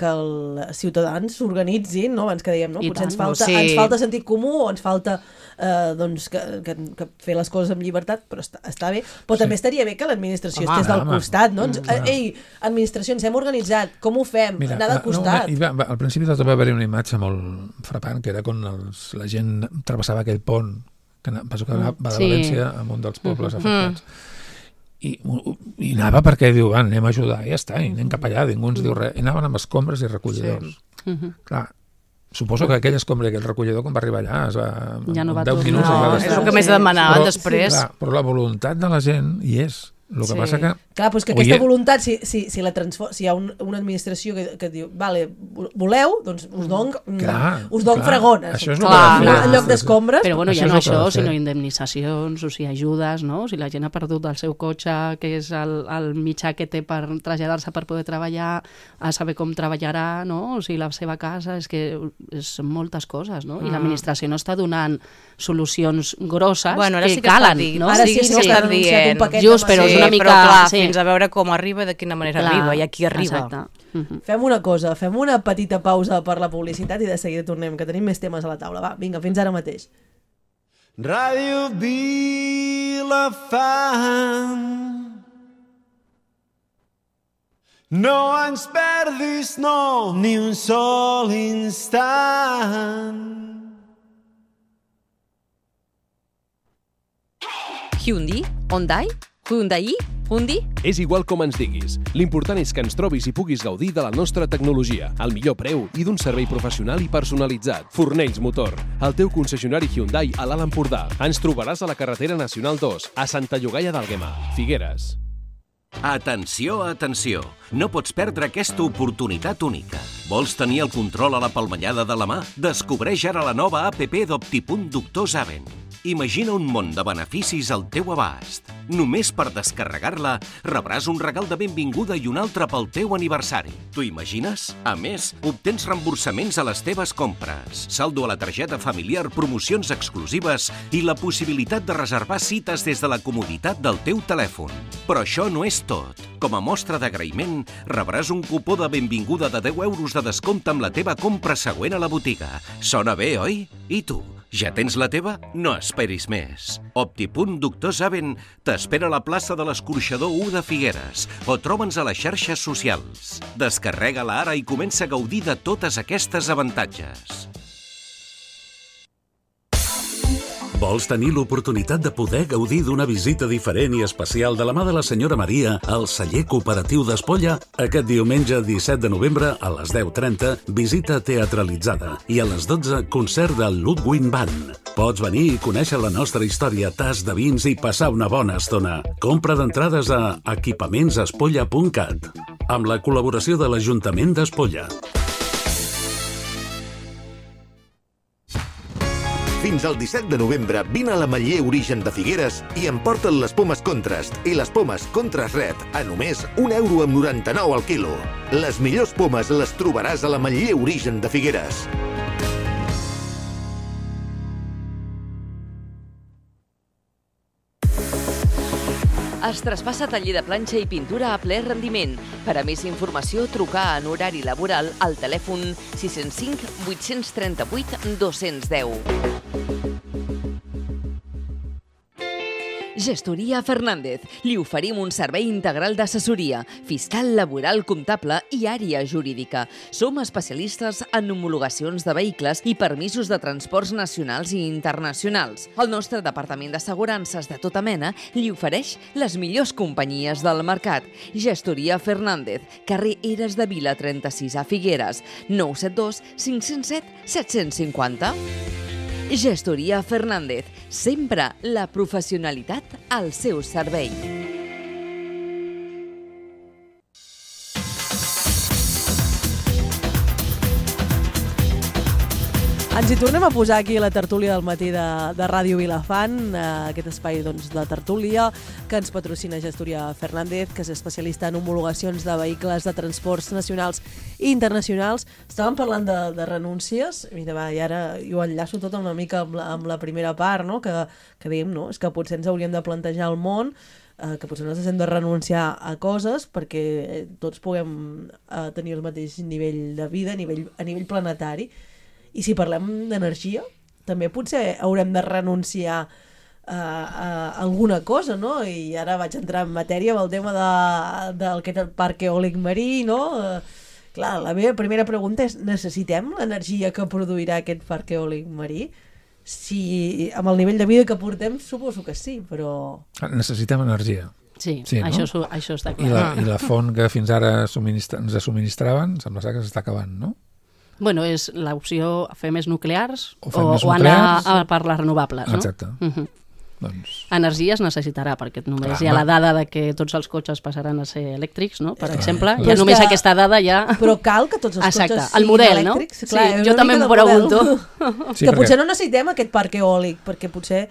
els ciutadans s'organitzin, no? Abans que dèiem, no? Potser ens falta sentit comú o ens falta que fer les coses amb llibertat, però està bé. Però també estaria bé que l'administració estigués del costat, no? Ei, administració, ens hem organitzat, com ho fem? Anar del costat. Al principi va haver-hi una imatge molt frapant, que era quan la gent travessava aquell pont que va de València a un dels pobles afectats. I anava perquè diu, anem a ajudar, i ja està, i anem cap allà, ningú ens diu res, i anaven amb escombres i recollidors. Clar, suposo que aquell escombre i aquell recollidor, quan va arribar allà, ja no va 10 minuts... És el que més demanaven després. Però la voluntat de la gent hi és. El que passa que... Clar, però és que aquesta voluntat, si hi ha una administració que diu, vale, voleu, doncs us dono fregones. En lloc d'escombres. Però bueno, ja no això, sinó indemnitzacions, o sigui, ajudes, no? Si la gent ha perdut el seu cotxe, que és el mitjà que té per traslladar-se per poder treballar, a saber com treballarà, no? O sigui, la seva casa, és que són moltes coses, no? I l'administració no està donant solucions grosses que calen, no? Ara sí que està anunciat un paquet. Just, però és una mica... Però clar, fins a veure com arriba i de quina manera arriba i a qui arriba. Exacte. Fem una cosa, fem una petita pausa per la publicitat i de seguida tornem, que tenim més temes a la taula. Va, vinga, fins ara mateix. Ràdio Vilafant, no ens perdis, no, ni un sol instant. Hyundai, Hyundai, Hyundai? Hundi? És igual com ens diguis. L'important és que ens trobis i puguis gaudir de la nostra tecnologia, al millor preu i d'un servei professional i personalitzat. Fornells Motor, el teu concessionari Hyundai a l'Alt Empordà. Ens trobaràs a la carretera Nacional 2, a Santa Llogaia d'Àlguema, Figueres. Atenció, atenció! No pots perdre aquesta oportunitat única. Vols tenir el control a la palmellada de la mà? Descobreix ara la nova app d'Optipunt Doctor Zaven. Imagina un món de beneficis al teu abast. Només per descarregar-la rebràs un regal de benvinguda i un altre pel teu aniversari. T'ho imagines? A més, obtens reemborsaments a les teves compres, saldo a la targeta familiar, promocions exclusives i la possibilitat de reservar cites des de la comoditat del teu telèfon. Però això no és tot. Com a mostra d'agraïment, rebràs un cupó de benvinguda de 10 euros de descompte amb la teva compra següent a la botiga. Sona bé, oi? I tu? Ja tens la teva? No esperis més. Optipunt Doctor Zaven t'espera a la plaça de l'Escorxador 1 de Figueres o troba'ns a les xarxes socials. Descarrega-la ara i comença a gaudir de totes aquestes avantatges. Vols tenir l'oportunitat de poder gaudir d'una visita diferent i especial de la mà de la senyora Maria al celler cooperatiu d'Espolla? Aquest diumenge 17 de novembre a les 10:30, visita teatralitzada i a les 12, concert del Ludwig Band. Pots venir i conèixer la nostra història, tas de vins i passar una bona estona. Compra d'entrades a equipamentsespolla.cat amb la col·laboració de l'Ajuntament d'Espolla. Fins al 17 de novembre vine a l'Ametller Origen de Figueres i emporta't les pomes Contrast i les pomes Contrast Red a només €1,99 al quilo. Les millors pomes les trobaràs a l'Ametller Origen de Figueres. Es traspassa taller de planxa i pintura a ple rendiment. Per a més informació, trucar en horari laboral al telèfon 605 838 210. Gestoria Fernández. Li oferim un servei integral d'assessoria, fiscal, laboral, comptable i àrea jurídica. Som especialistes en homologacions de vehicles i permisos de transports nacionals i internacionals. El nostre departament d'assegurances de tota mena li ofereix les millors companyies del mercat. Gestoria Fernández, carrer Eres de Vila 36 a Figueres, 972 507 750. Gestoria Fernández, sempre la professionalitat al seu servei. Ens hi tornem a posar aquí a la tertúlia del matí de Ràdio Vilafant, aquest espai doncs, de tertúlia que ens patrocina Gestoria Fernández, que és especialista en homologacions de vehicles de transports nacionals i internacionals. Estàvem parlant de renúncies, i ara jo enllaço tot una mica amb la primera part, no? que dèiem, no? És que potser ens hauríem de plantejar el món, que potser nosaltres hem de renunciar a coses perquè tots puguem tenir el mateix nivell de vida a nivell planetari. I si parlem d'energia, també potser haurem de renunciar a alguna cosa, no? I ara vaig entrar en matèria amb el tema del parc eòlic marí, no? Clar, la meva primera pregunta és: necessitem l'energia que produirà aquest parc eòlic marí? Si amb el nivell de vida que portem, suposo que sí, però... Necessitem energia. Sí, no? això està clar. I la font que fins ara ens subministraven, sembla que s'està acabant, no? Bueno, és l'opció fer més nuclears o anar per les renovables, no? Exacte. Doncs... Energia es necessitarà, perquè només hi ha la dada de que tots els cotxes passaran a ser elèctrics, no? Per exemple, ja només aquesta dada ja... Però cal que tots els cotxes siguin elèctrics? Sí, jo també m'ho pregunto. Que potser no necessitem aquest parc eòlic, perquè potser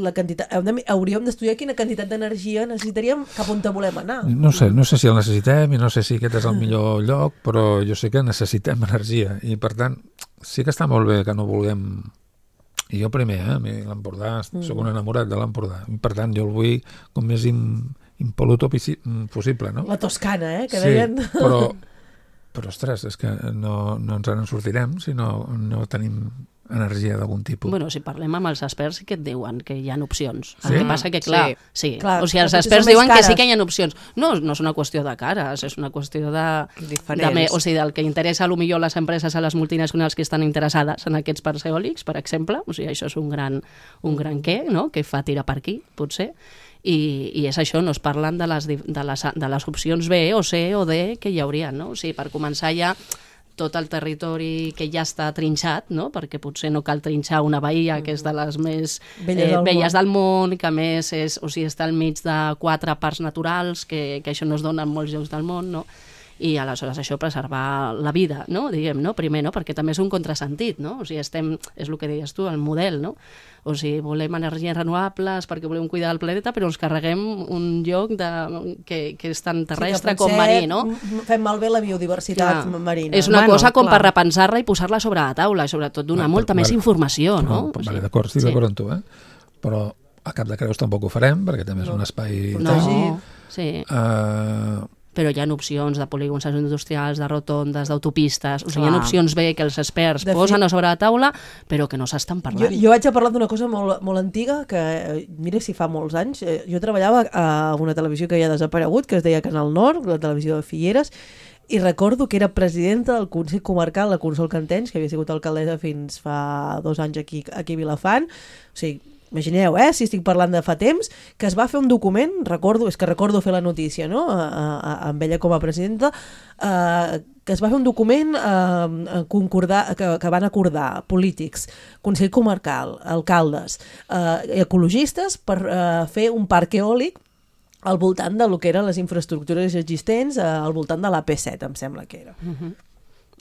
la quantitat, hauríem d'estudiar quina quantitat d'energia necessitaríem cap on volem anar. No sé si el necessitem i no sé si aquest és el millor lloc, però jo sé que necessitem energia i per tant sí que està molt bé que no vulguem, i jo primer, l'Empordà, soc un enamorat de l'Empordà, i per tant jo el vull com més impol·luto possible, no? La Toscana, que deien... Però ostres, és que no ens en sortirem si no tenim energia d'algun tipus. Bueno, si parlem amb els experts sí que et diuen que hi ha opcions. Sí? El que passa que, clar, o sigui, els experts diuen que sí que hi ha opcions. No és una qüestió de cares, és una qüestió o sigui, del que interessa potser les empreses a les multinacionals que estan interessades en aquests parcs eòlics, per exemple. O sigui, això és un gran què, no?, que fa tirar per aquí, potser. I és això, no es parlen de les opcions B o C o D que hi haurien, no? O sigui, per començar ja tot el territori que ja està trinxat, no? Perquè potser no cal trinxar una bahia que és de les més velles del món, que a més està al mig de 4 parcs naturals, que això no es dona en molts llocs del món, no? I aleshores això preservar la vida, no? Diguem, no? Primer, no? Perquè també és un contrasentit, no? O sigui, és el que deies tu, el model, no? O sigui, volem energies renovables perquè volem cuidar del planeta, però ens carreguem un lloc que és tan terrestre com marí, no? Fem malbé la biodiversitat marina. És una cosa com per repensar-la i posar-la sobre la taula, i sobretot donar molta més informació, no? Vale, d'acord, estic d'acord amb tu, però a Cap de Creus tampoc ho farem, perquè també és un espai... No, sí. Però hi ha opcions de polígons industrials, de rotondes, d'autopistes, o sigui, hi ha opcions B que els experts posen sobre la taula, però que no s'estan parlant. Jo vaig a parlar d'una cosa molt antiga, que mira si fa molts anys, jo treballava a una televisió que ja ha desaparegut, que es deia Canal Nord, la televisió de Figueres, i recordo que era presidenta del Consell Comarcal, la Consol Cantenys, que havia sigut alcaldessa fins fa 2 anys aquí a Vilafant, o sigui, imagineu, si estic parlant de fa temps, que es va fer un document, recordo fer la notícia, no?, amb ella com a presidenta, que es va fer un document que van acordar polítics, Consell Comarcal, alcaldes, ecologistes, per fer un parc eòlic al voltant de lo que eren les infraestructures existents, al voltant de l'AP7, em sembla que era.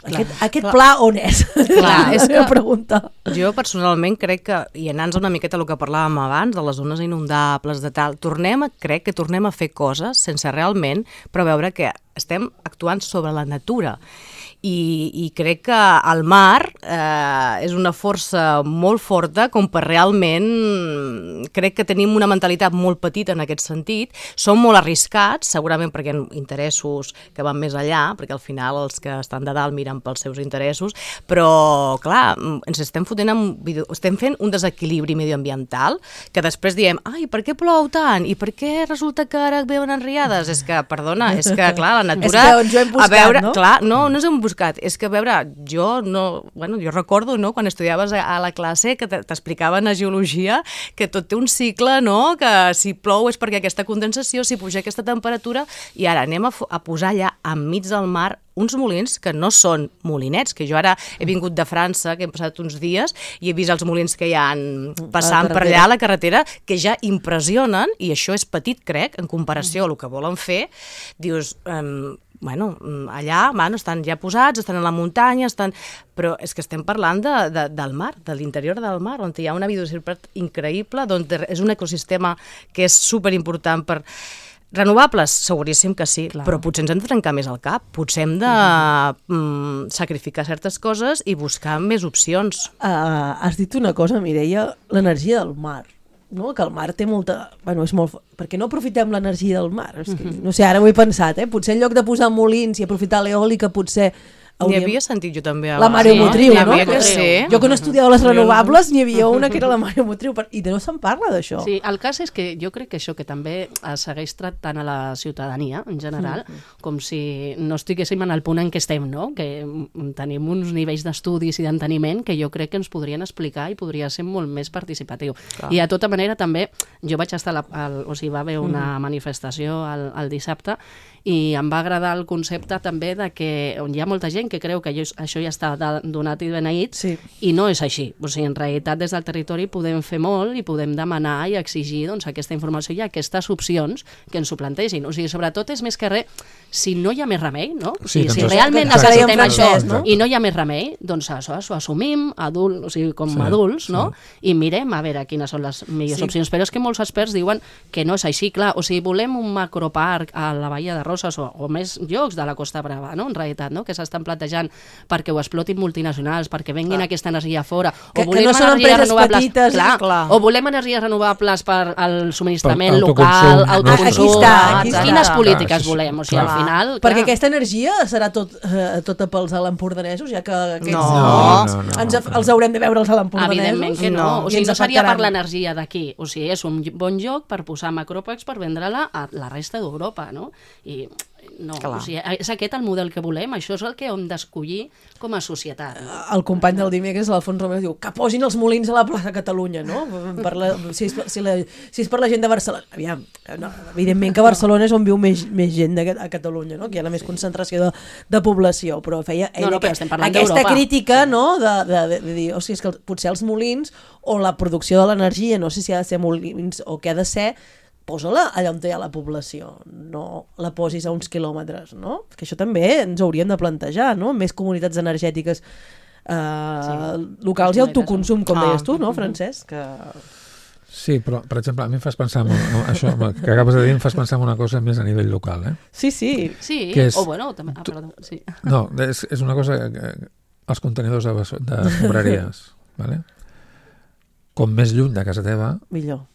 Aquest pla on és? Clar, és que pregunta. Jo personalment crec que, i anant-nos una miqueta el que parlàvem abans, de les zones inundables, de tal, crec que tornem a fer coses sense realment preveure que estem actuant sobre la natura. I crec que el mar és una força molt forta com per realment... Crec que tenim una mentalitat molt petita en aquest sentit. Som molt arriscats, segurament perquè hi ha interessos que van més allà, perquè al final els que estan de dalt miren pels seus interessos, però, clar, ens estem fent un desequilibri medioambiental que després diem, ai, per què plou tant? I per què resulta que ara veuen enriades? És que, perdona, és que, clar, la natura... És que ens ho hem buscat, no? Clar, no ens hem buscat. És que, a veure, jo recordo, no, quan estudiaves a la classe que t'explicaven a geologia que tot té un cicle, no?, que si plou és perquè aquesta condensació, si puja aquesta temperatura, i ara anem a posar allà enmig del mar uns molins que no són molinets, que jo ara he vingut de França, que hem passat uns dies, i he vist els molins que hi ha passant per allà a la carretera, que ja impressionen, i això és petit, crec, en comparació a el que volen fer. Dius... allà estan ja posats, estan a la muntanya, però és que estem parlant del mar, de l'interior del mar, on hi ha una biodiversitat increïble, on és un ecosistema que és superimportant per... Renovables? Seguríssim que sí, però potser ens hem de trencar més el cap, potser hem de sacrificar certes coses i buscar més opcions. Has dit una cosa, Mireia, l'energia del mar. No? Que el mar té molta... és molt... Per què no aprofitem l'energia del mar? És que, no sé, ara ho he pensat, Potser en lloc de posar molins i aprofitar l'eòlica, potser... N'hi havia sentit jo també abans. La mareomotriu, no? Sí. Jo que no estudiava les renovables, n'hi havia una que era la mareomotriu, i no se'n parla d'això. Sí, el cas és que jo crec que això que també segueix tractant a la ciutadania, en general, com si no estiguéssim en el punt en què estem, no? Que tenim uns nivells d'estudis i d'enteniment que jo crec que ens podrien explicar i podria ser molt més participatiu. I de tota manera també, jo vaig estar va haver una manifestació el dissabte i em va agradar el concepte també de que hi ha molta gent que creu que això ja està donat i beneït, i no és així. O sigui, en realitat, des del territori podem fer molt i podem demanar i exigir aquesta informació i aquestes opcions que ens ho plantegin. O sigui, sobretot és més que res, si no hi ha més remei, no? Si realment necessitem això i no hi ha més remei, doncs això ho assumim com adults, no? I mirem a veure quines són les millors opcions. Però és que molts experts diuen que no és així. Clar, o sigui, volem un macroparc a la Bahia de Roses o més llocs de la Costa Brava, no? En realitat, no? Que s'estan plantejant batejant perquè ho explotin multinacionals, perquè venguin aquesta energia fora, que no són empreses petites, o volem energies renovables per al subministrament local, autoconsum, quines polítiques volem? O sigui, al final... Perquè aquesta energia serà tota pels alempordanesos, ja que els haurem de veure els alempordanesos. Evidentment que no. O sigui, no seria per l'energia d'aquí. O sigui, és un bon lloc per posar macròpacs per vendre-la a la resta d'Europa, no? I no, o sigui, és aquest el model que volem, això és el que hem d'escollir com a societat. El company del dimecres, l'Alfons Romero, diu que posin els molins a la plaça Catalunya, no? Si és per la gent de Barcelona. Aviam, no, evidentment que Barcelona és on viu més gent a Catalunya, no? Que hi ha la més concentració de població, però feia aquesta crítica, no? De dir, o sigui, és que potser els molins o la producció de l'energia, no sé si ha de ser molins o què ha de ser, posa-la allà on hi ha la població, no la posis a uns quilòmetres, no? Que això també ens hauríem de plantejar, no? Més comunitats energètiques locals i autoconsum, com deies tu, no, Francesc? Sí, però, per exemple, a mi em fas pensar això que acabes de dir, em fas pensar en una cosa més a nivell local, Sí, o bueno, també... perdó, sí. No, és una cosa, els contenidors d'escombraries, ¿vale? Com més lluny de casa teva, millor.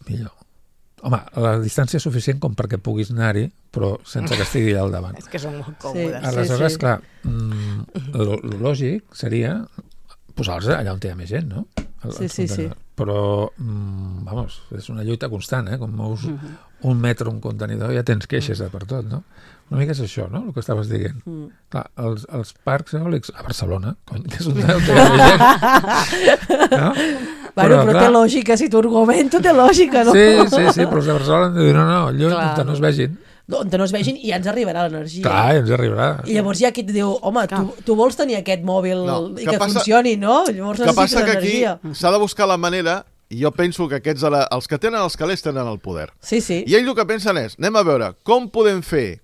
Home, la distància és suficient com perquè puguis anar-hi, però sense que estigui al davant. És que són molt còmodes. Aleshores, clar, lo lògic seria posar-los allà on hi ha més gent, no? Sí. Però, vamos, és una lluita constant, Com mous un metre un contenidor ja tens queixes per tot, no? Una mica és això, no?, el que estaves dient. Clar, els parcs eòlics a Barcelona, que és un lloc que hi ha més gent, no? Però té lògica, si t'ho argumento, té lògica, no? Sí, però els de Barcelona han de dir, no, lluny, on no es vegin. On no es vegin i ja ens arribarà l'energia. Clar, ja ens arribarà. I llavors hi ha qui et diu, home, tu vols tenir aquest mòbil i que funcioni, no? Llavors necessites energia. Que passa que aquí s'ha de buscar la manera, i jo penso que aquests, els que tenen els calés tenen el poder. Sí. I ells el que pensen és, anem a veure, com podem fer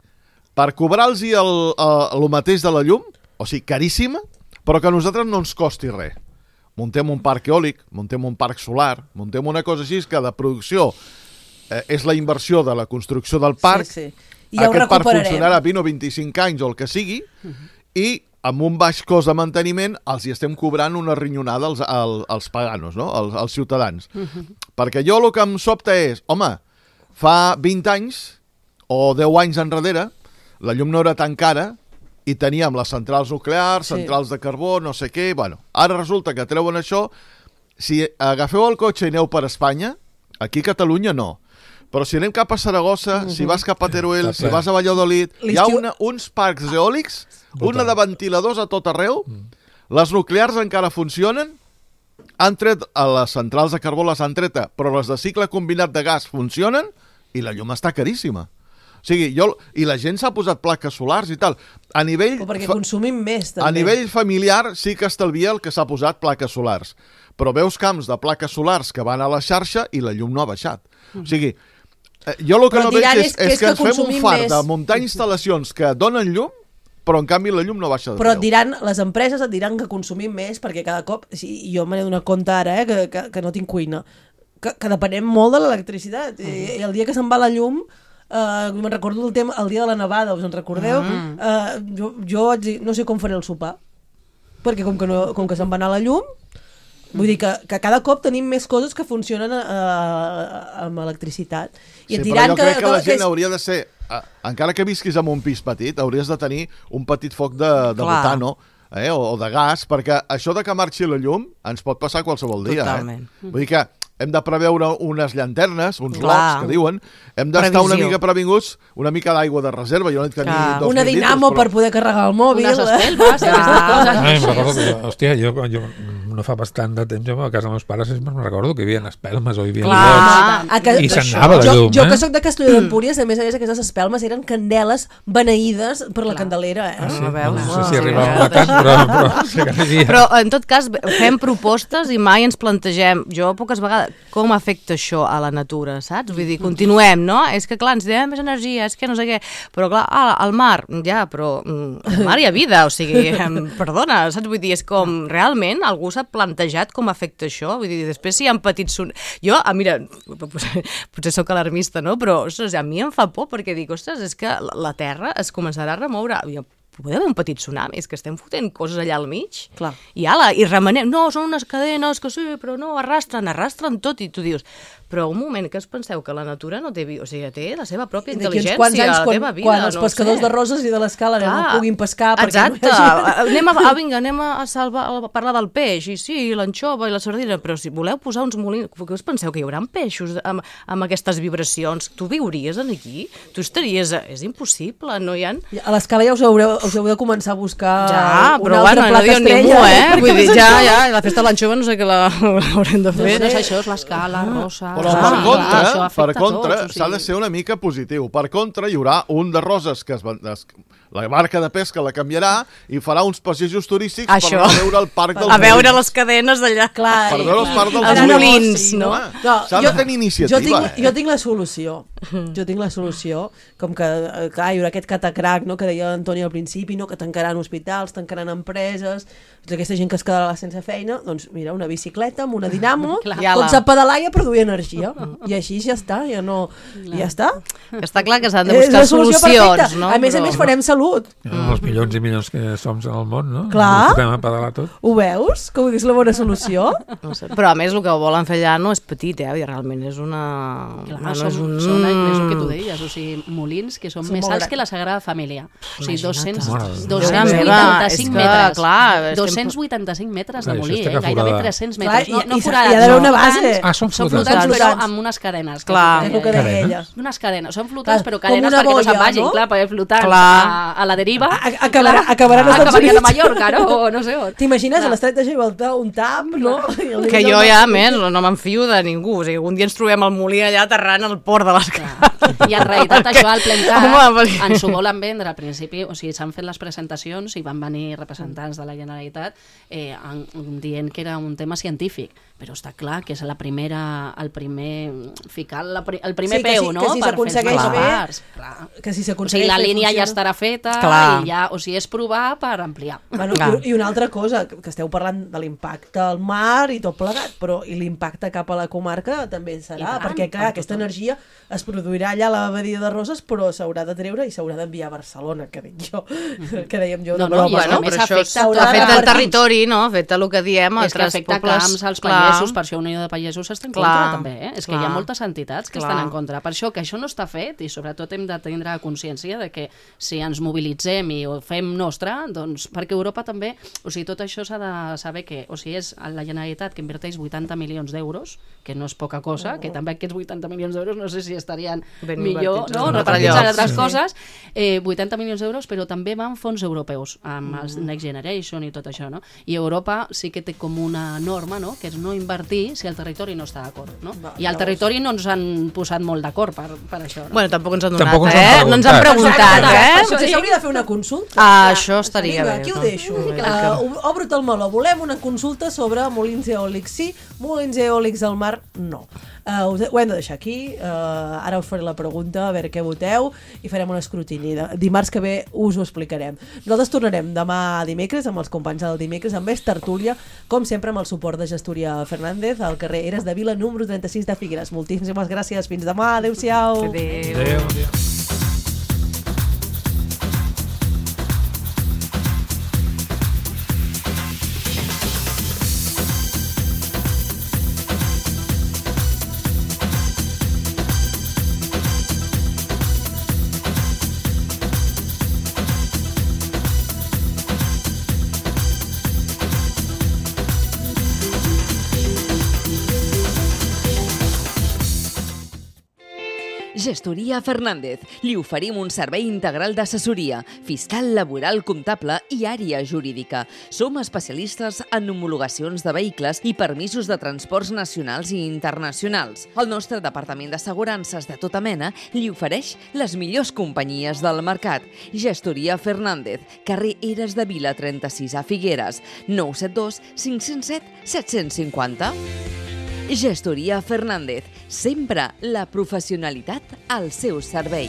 per cobrar-los el mateix de la llum, o sigui, caríssima, però que a nosaltres no ens costi res. Muntem un parc eòlic, muntem un parc solar, muntem una cosa així que de producció és la inversió de la construcció del parc. I ja aquest parc funcionarà 20 o 25 anys o el que sigui, i amb un baix cost de manteniment els hi estem cobrant una rinyonada als paganos, no? als ciutadans. Perquè jo el que em sobta és, home, fa 20 anys o 10 anys enrere, la llum no era tan cara, i teníem les centrals nuclears, centrals de carbó, no sé què, bueno, ara resulta que treuen això, si agafeu el cotxe i aneu per Espanya, aquí a Catalunya no, però si anem cap a Saragossa, si vas cap a Teruel, si vas a Valladolid, hi ha uns parcs eòlics, una de ventiladors a tot arreu, les nuclears encara funcionen, han tret a les centrals de carbó, les han treta, però les de cicle combinat de gas funcionen i la llum està caríssima. O sigui, i la gent s'ha posat plaques solars i tal. A nivell... Perquè consumim més, també. A nivell familiar sí que estalvia el que s'ha posat plaques solars. Però veus camps de plaques solars que van a la xarxa i la llum no ha baixat. O sigui, jo el que no veig és que ens fem un fart de muntar instal·lacions que donen llum, però en canvi la llum no baixa de preu. Però les empreses et diran que consumim més perquè cada cop... Jo me n'he donat compte ara, que no tinc cuina, que depenem molt de l'electricitat. I el dia que se'n va la llum... me'n recordo el dia de la nevada, us en recordeu? Jo vaig dir, no sé com faré el sopar, perquè com que se'n va anar la llum, vull dir que cada cop tenim més coses que funcionen amb electricitat. I però jo crec que la gent hauria de ser, encara que visquis en un pis petit, hauries de tenir un petit foc de butano o de gas, perquè això de que marxi la llum ens pot passar qualsevol dia. Totalment. Vull dir que hem de preveure unes llanternes, uns lots que diuen, hem d'estar una mica previnguts, una mica d'aigua de reserva, jo no he de tenir 2.000 litres. Una dinamo per poder carregar el mòbil. Unes espelmes. Em recordo que, hòstia, jo no fa bastant de temps, a casa dels meus pares me'n recordo que hi havia espelmes o hi havia lots i s'anava la llum. Jo que soc de Castelló d'Empúries, a més aquestes espelmes eren candeles beneïdes per la candelera. No sé si arribava a tant, però en tot cas fem propostes i mai ens plantegem, jo poques vegades, com afecta això a la natura, saps? Vull dir, continuem, no? És que clar, ens diem més energia, és que no sé què, però clar, al mar, ja, però al mar hi ha vida, o sigui, perdona, saps? Vull dir, és com, realment, algú s'ha plantejat com afecta això? Vull dir, després si hi ha petits... Jo, mira, potser sóc alarmista, no? Però, ostres, a mi em fa por perquè dic, ostres, és que la Terra es començarà a remoure. poder haver un petit tsunami, és que estem fotent coses allà al mig, Clar. i remenem, no, són unes cadenes que sí, però no, arrastren tot, i tu dius, però un moment, que us penseu que la natura no té vida, o sigui, té la seva pròpia intel·ligència, la teva vida, quan els pescadors de Roses i de l'Escala no puguin pescar... Exacte, anem a parlar del peix, i sí, l'anxova i la sardina, però si voleu posar uns molins, què us penseu, que hi haurà peixos amb aquestes vibracions? Tu viuries aquí? Tu estaries... És impossible, no hi ha... A l'Escala ja us heu de començar a buscar un altre plat estrella. Vull dir, ja, la festa de l'anxova no sé què l'haurem de fer. No és això, és l'Escala, Rosa... Però per contra, s'ha de ser una mica positiu. Per contra, hi haurà un de Roses que la marca de pesca la canviarà i farà uns passejos turístics per anar a veure el parc dels molins. A veure les cadenes d'allà. Per veure el parc dels molins, no? S'ha de tenir iniciativa. Jo tinc la solució. Com que hi haurà aquest catacrac, que deia l'Antoni al principi, que tancaran hospitals, tancaran empreses, aquesta gent que es quedarà sense feina, doncs mira, una bicicleta amb una dinamo, tots a pedalar i a produir energia. I així ja està, ja està. Està clar que s'han de buscar solucions, no? A més, farem salut. Els milions i milions que som en el món, no? Clar. Ens a pedalar tot. Ho veus? Que és la bona solució? No sé. Però a més el que volen fer allà no és petit, realment és una... Clar, són el que tu deies, o sigui, molins que són més alts que la Sagrada Família. O sigui, 285 metres. Clar, 285 metres de molí, gairebé 300 metres. No forats, hi ha d'haver una base. Són flotants, però amb unes cadenes. Clar. Unes cadenes. Són flotants, però cadenes perquè no se'n vagin, clar, perquè flotants a la deriva acabaran a Mallorca, no? O no sé on. T'imagines a l'estret de Gibraltar un tap, no? Que jo ja, més, no m'enfio de ningú. O sigui, un dia ens trobem al molí allà aterrant al port de l'Escala. I en realitat això al Plencat ens ho volen vendre al principi, o sigui, s'han fet les presentacions i van venir representants de la Generalitat dient que era un tema científic, però està clar que és el primer peu, no? Que si s'aconsegueix bé, que si s'aconsegueix o sigui, la línia ja estarà feta i ja, o sigui, és provar per ampliar. I una altra cosa, que esteu parlant de l'impacte al mar i tot plegat, però i l'impacte cap a la comarca també serà, perquè clar, aquesta energia es produirà allà a la badia de Roses, però s'haurà de treure i s'haurà d'enviar a Barcelona, que dèiem jo. No, però això afecta el territori, no? Afecta el que diem és que afecta camps als pagesos, per això Unió de Pagesos està en contra també, és que hi ha moltes entitats que estan en contra, per això que això no està fet i sobretot hem de tindre consciència de que si ens mobilitzem i ho fem nostre, doncs perquè Europa també, o sigui, tot això s'ha de saber que, o sigui, és la Generalitat que inverteix 80 milions d'euros, que no és poca cosa, que també aquests 80 milions d'euros no sé si estarien millor, no? Repartits en altres coses, 80 milions d'euros, però també van fons europeus amb els Next Generation i tot això, no? I Europa sí que té com una norma, no? Que és no invertir si el territori no està d'acord, no? I al territori no ens han posat molt d'acord per això, no? Bueno, tampoc ens han donat, no ens han preguntat, Potser s'hauria de fer una consulta. Això estaria bé. Aquí ho deixo. Obre't el meló. Volem una consulta sobre molins eòlics sí, molins eòlics al mar no. Ho hem de deixar aquí, ara us faré la pregunta, a veure què voteu i farem un escrutini. Dimarts que ve us ho explicarem. Nosaltres tornarem demà dimecres amb els companys del dimecres amb més tertúlia, com sempre amb el suport de Gestoria Fernández al carrer Eres de Vila número 36 de Figueres. Moltíssimes gràcies, fins demà, adeu-siau. Adéu. Gestoria Fernández. Li oferim un servei integral d'assessoria, fiscal, laboral, comptable i àrea jurídica. Som especialistes en homologacions de vehicles i permisos de transports nacionals i internacionals. El nostre departament d'assegurances de tota mena li ofereix les millors companyies del mercat. Gestoria Fernández, carrer Eres de Vila 36 a Figueres, 972 507 750. Gestoria Fernández, sempre la professionalitat al seu servei.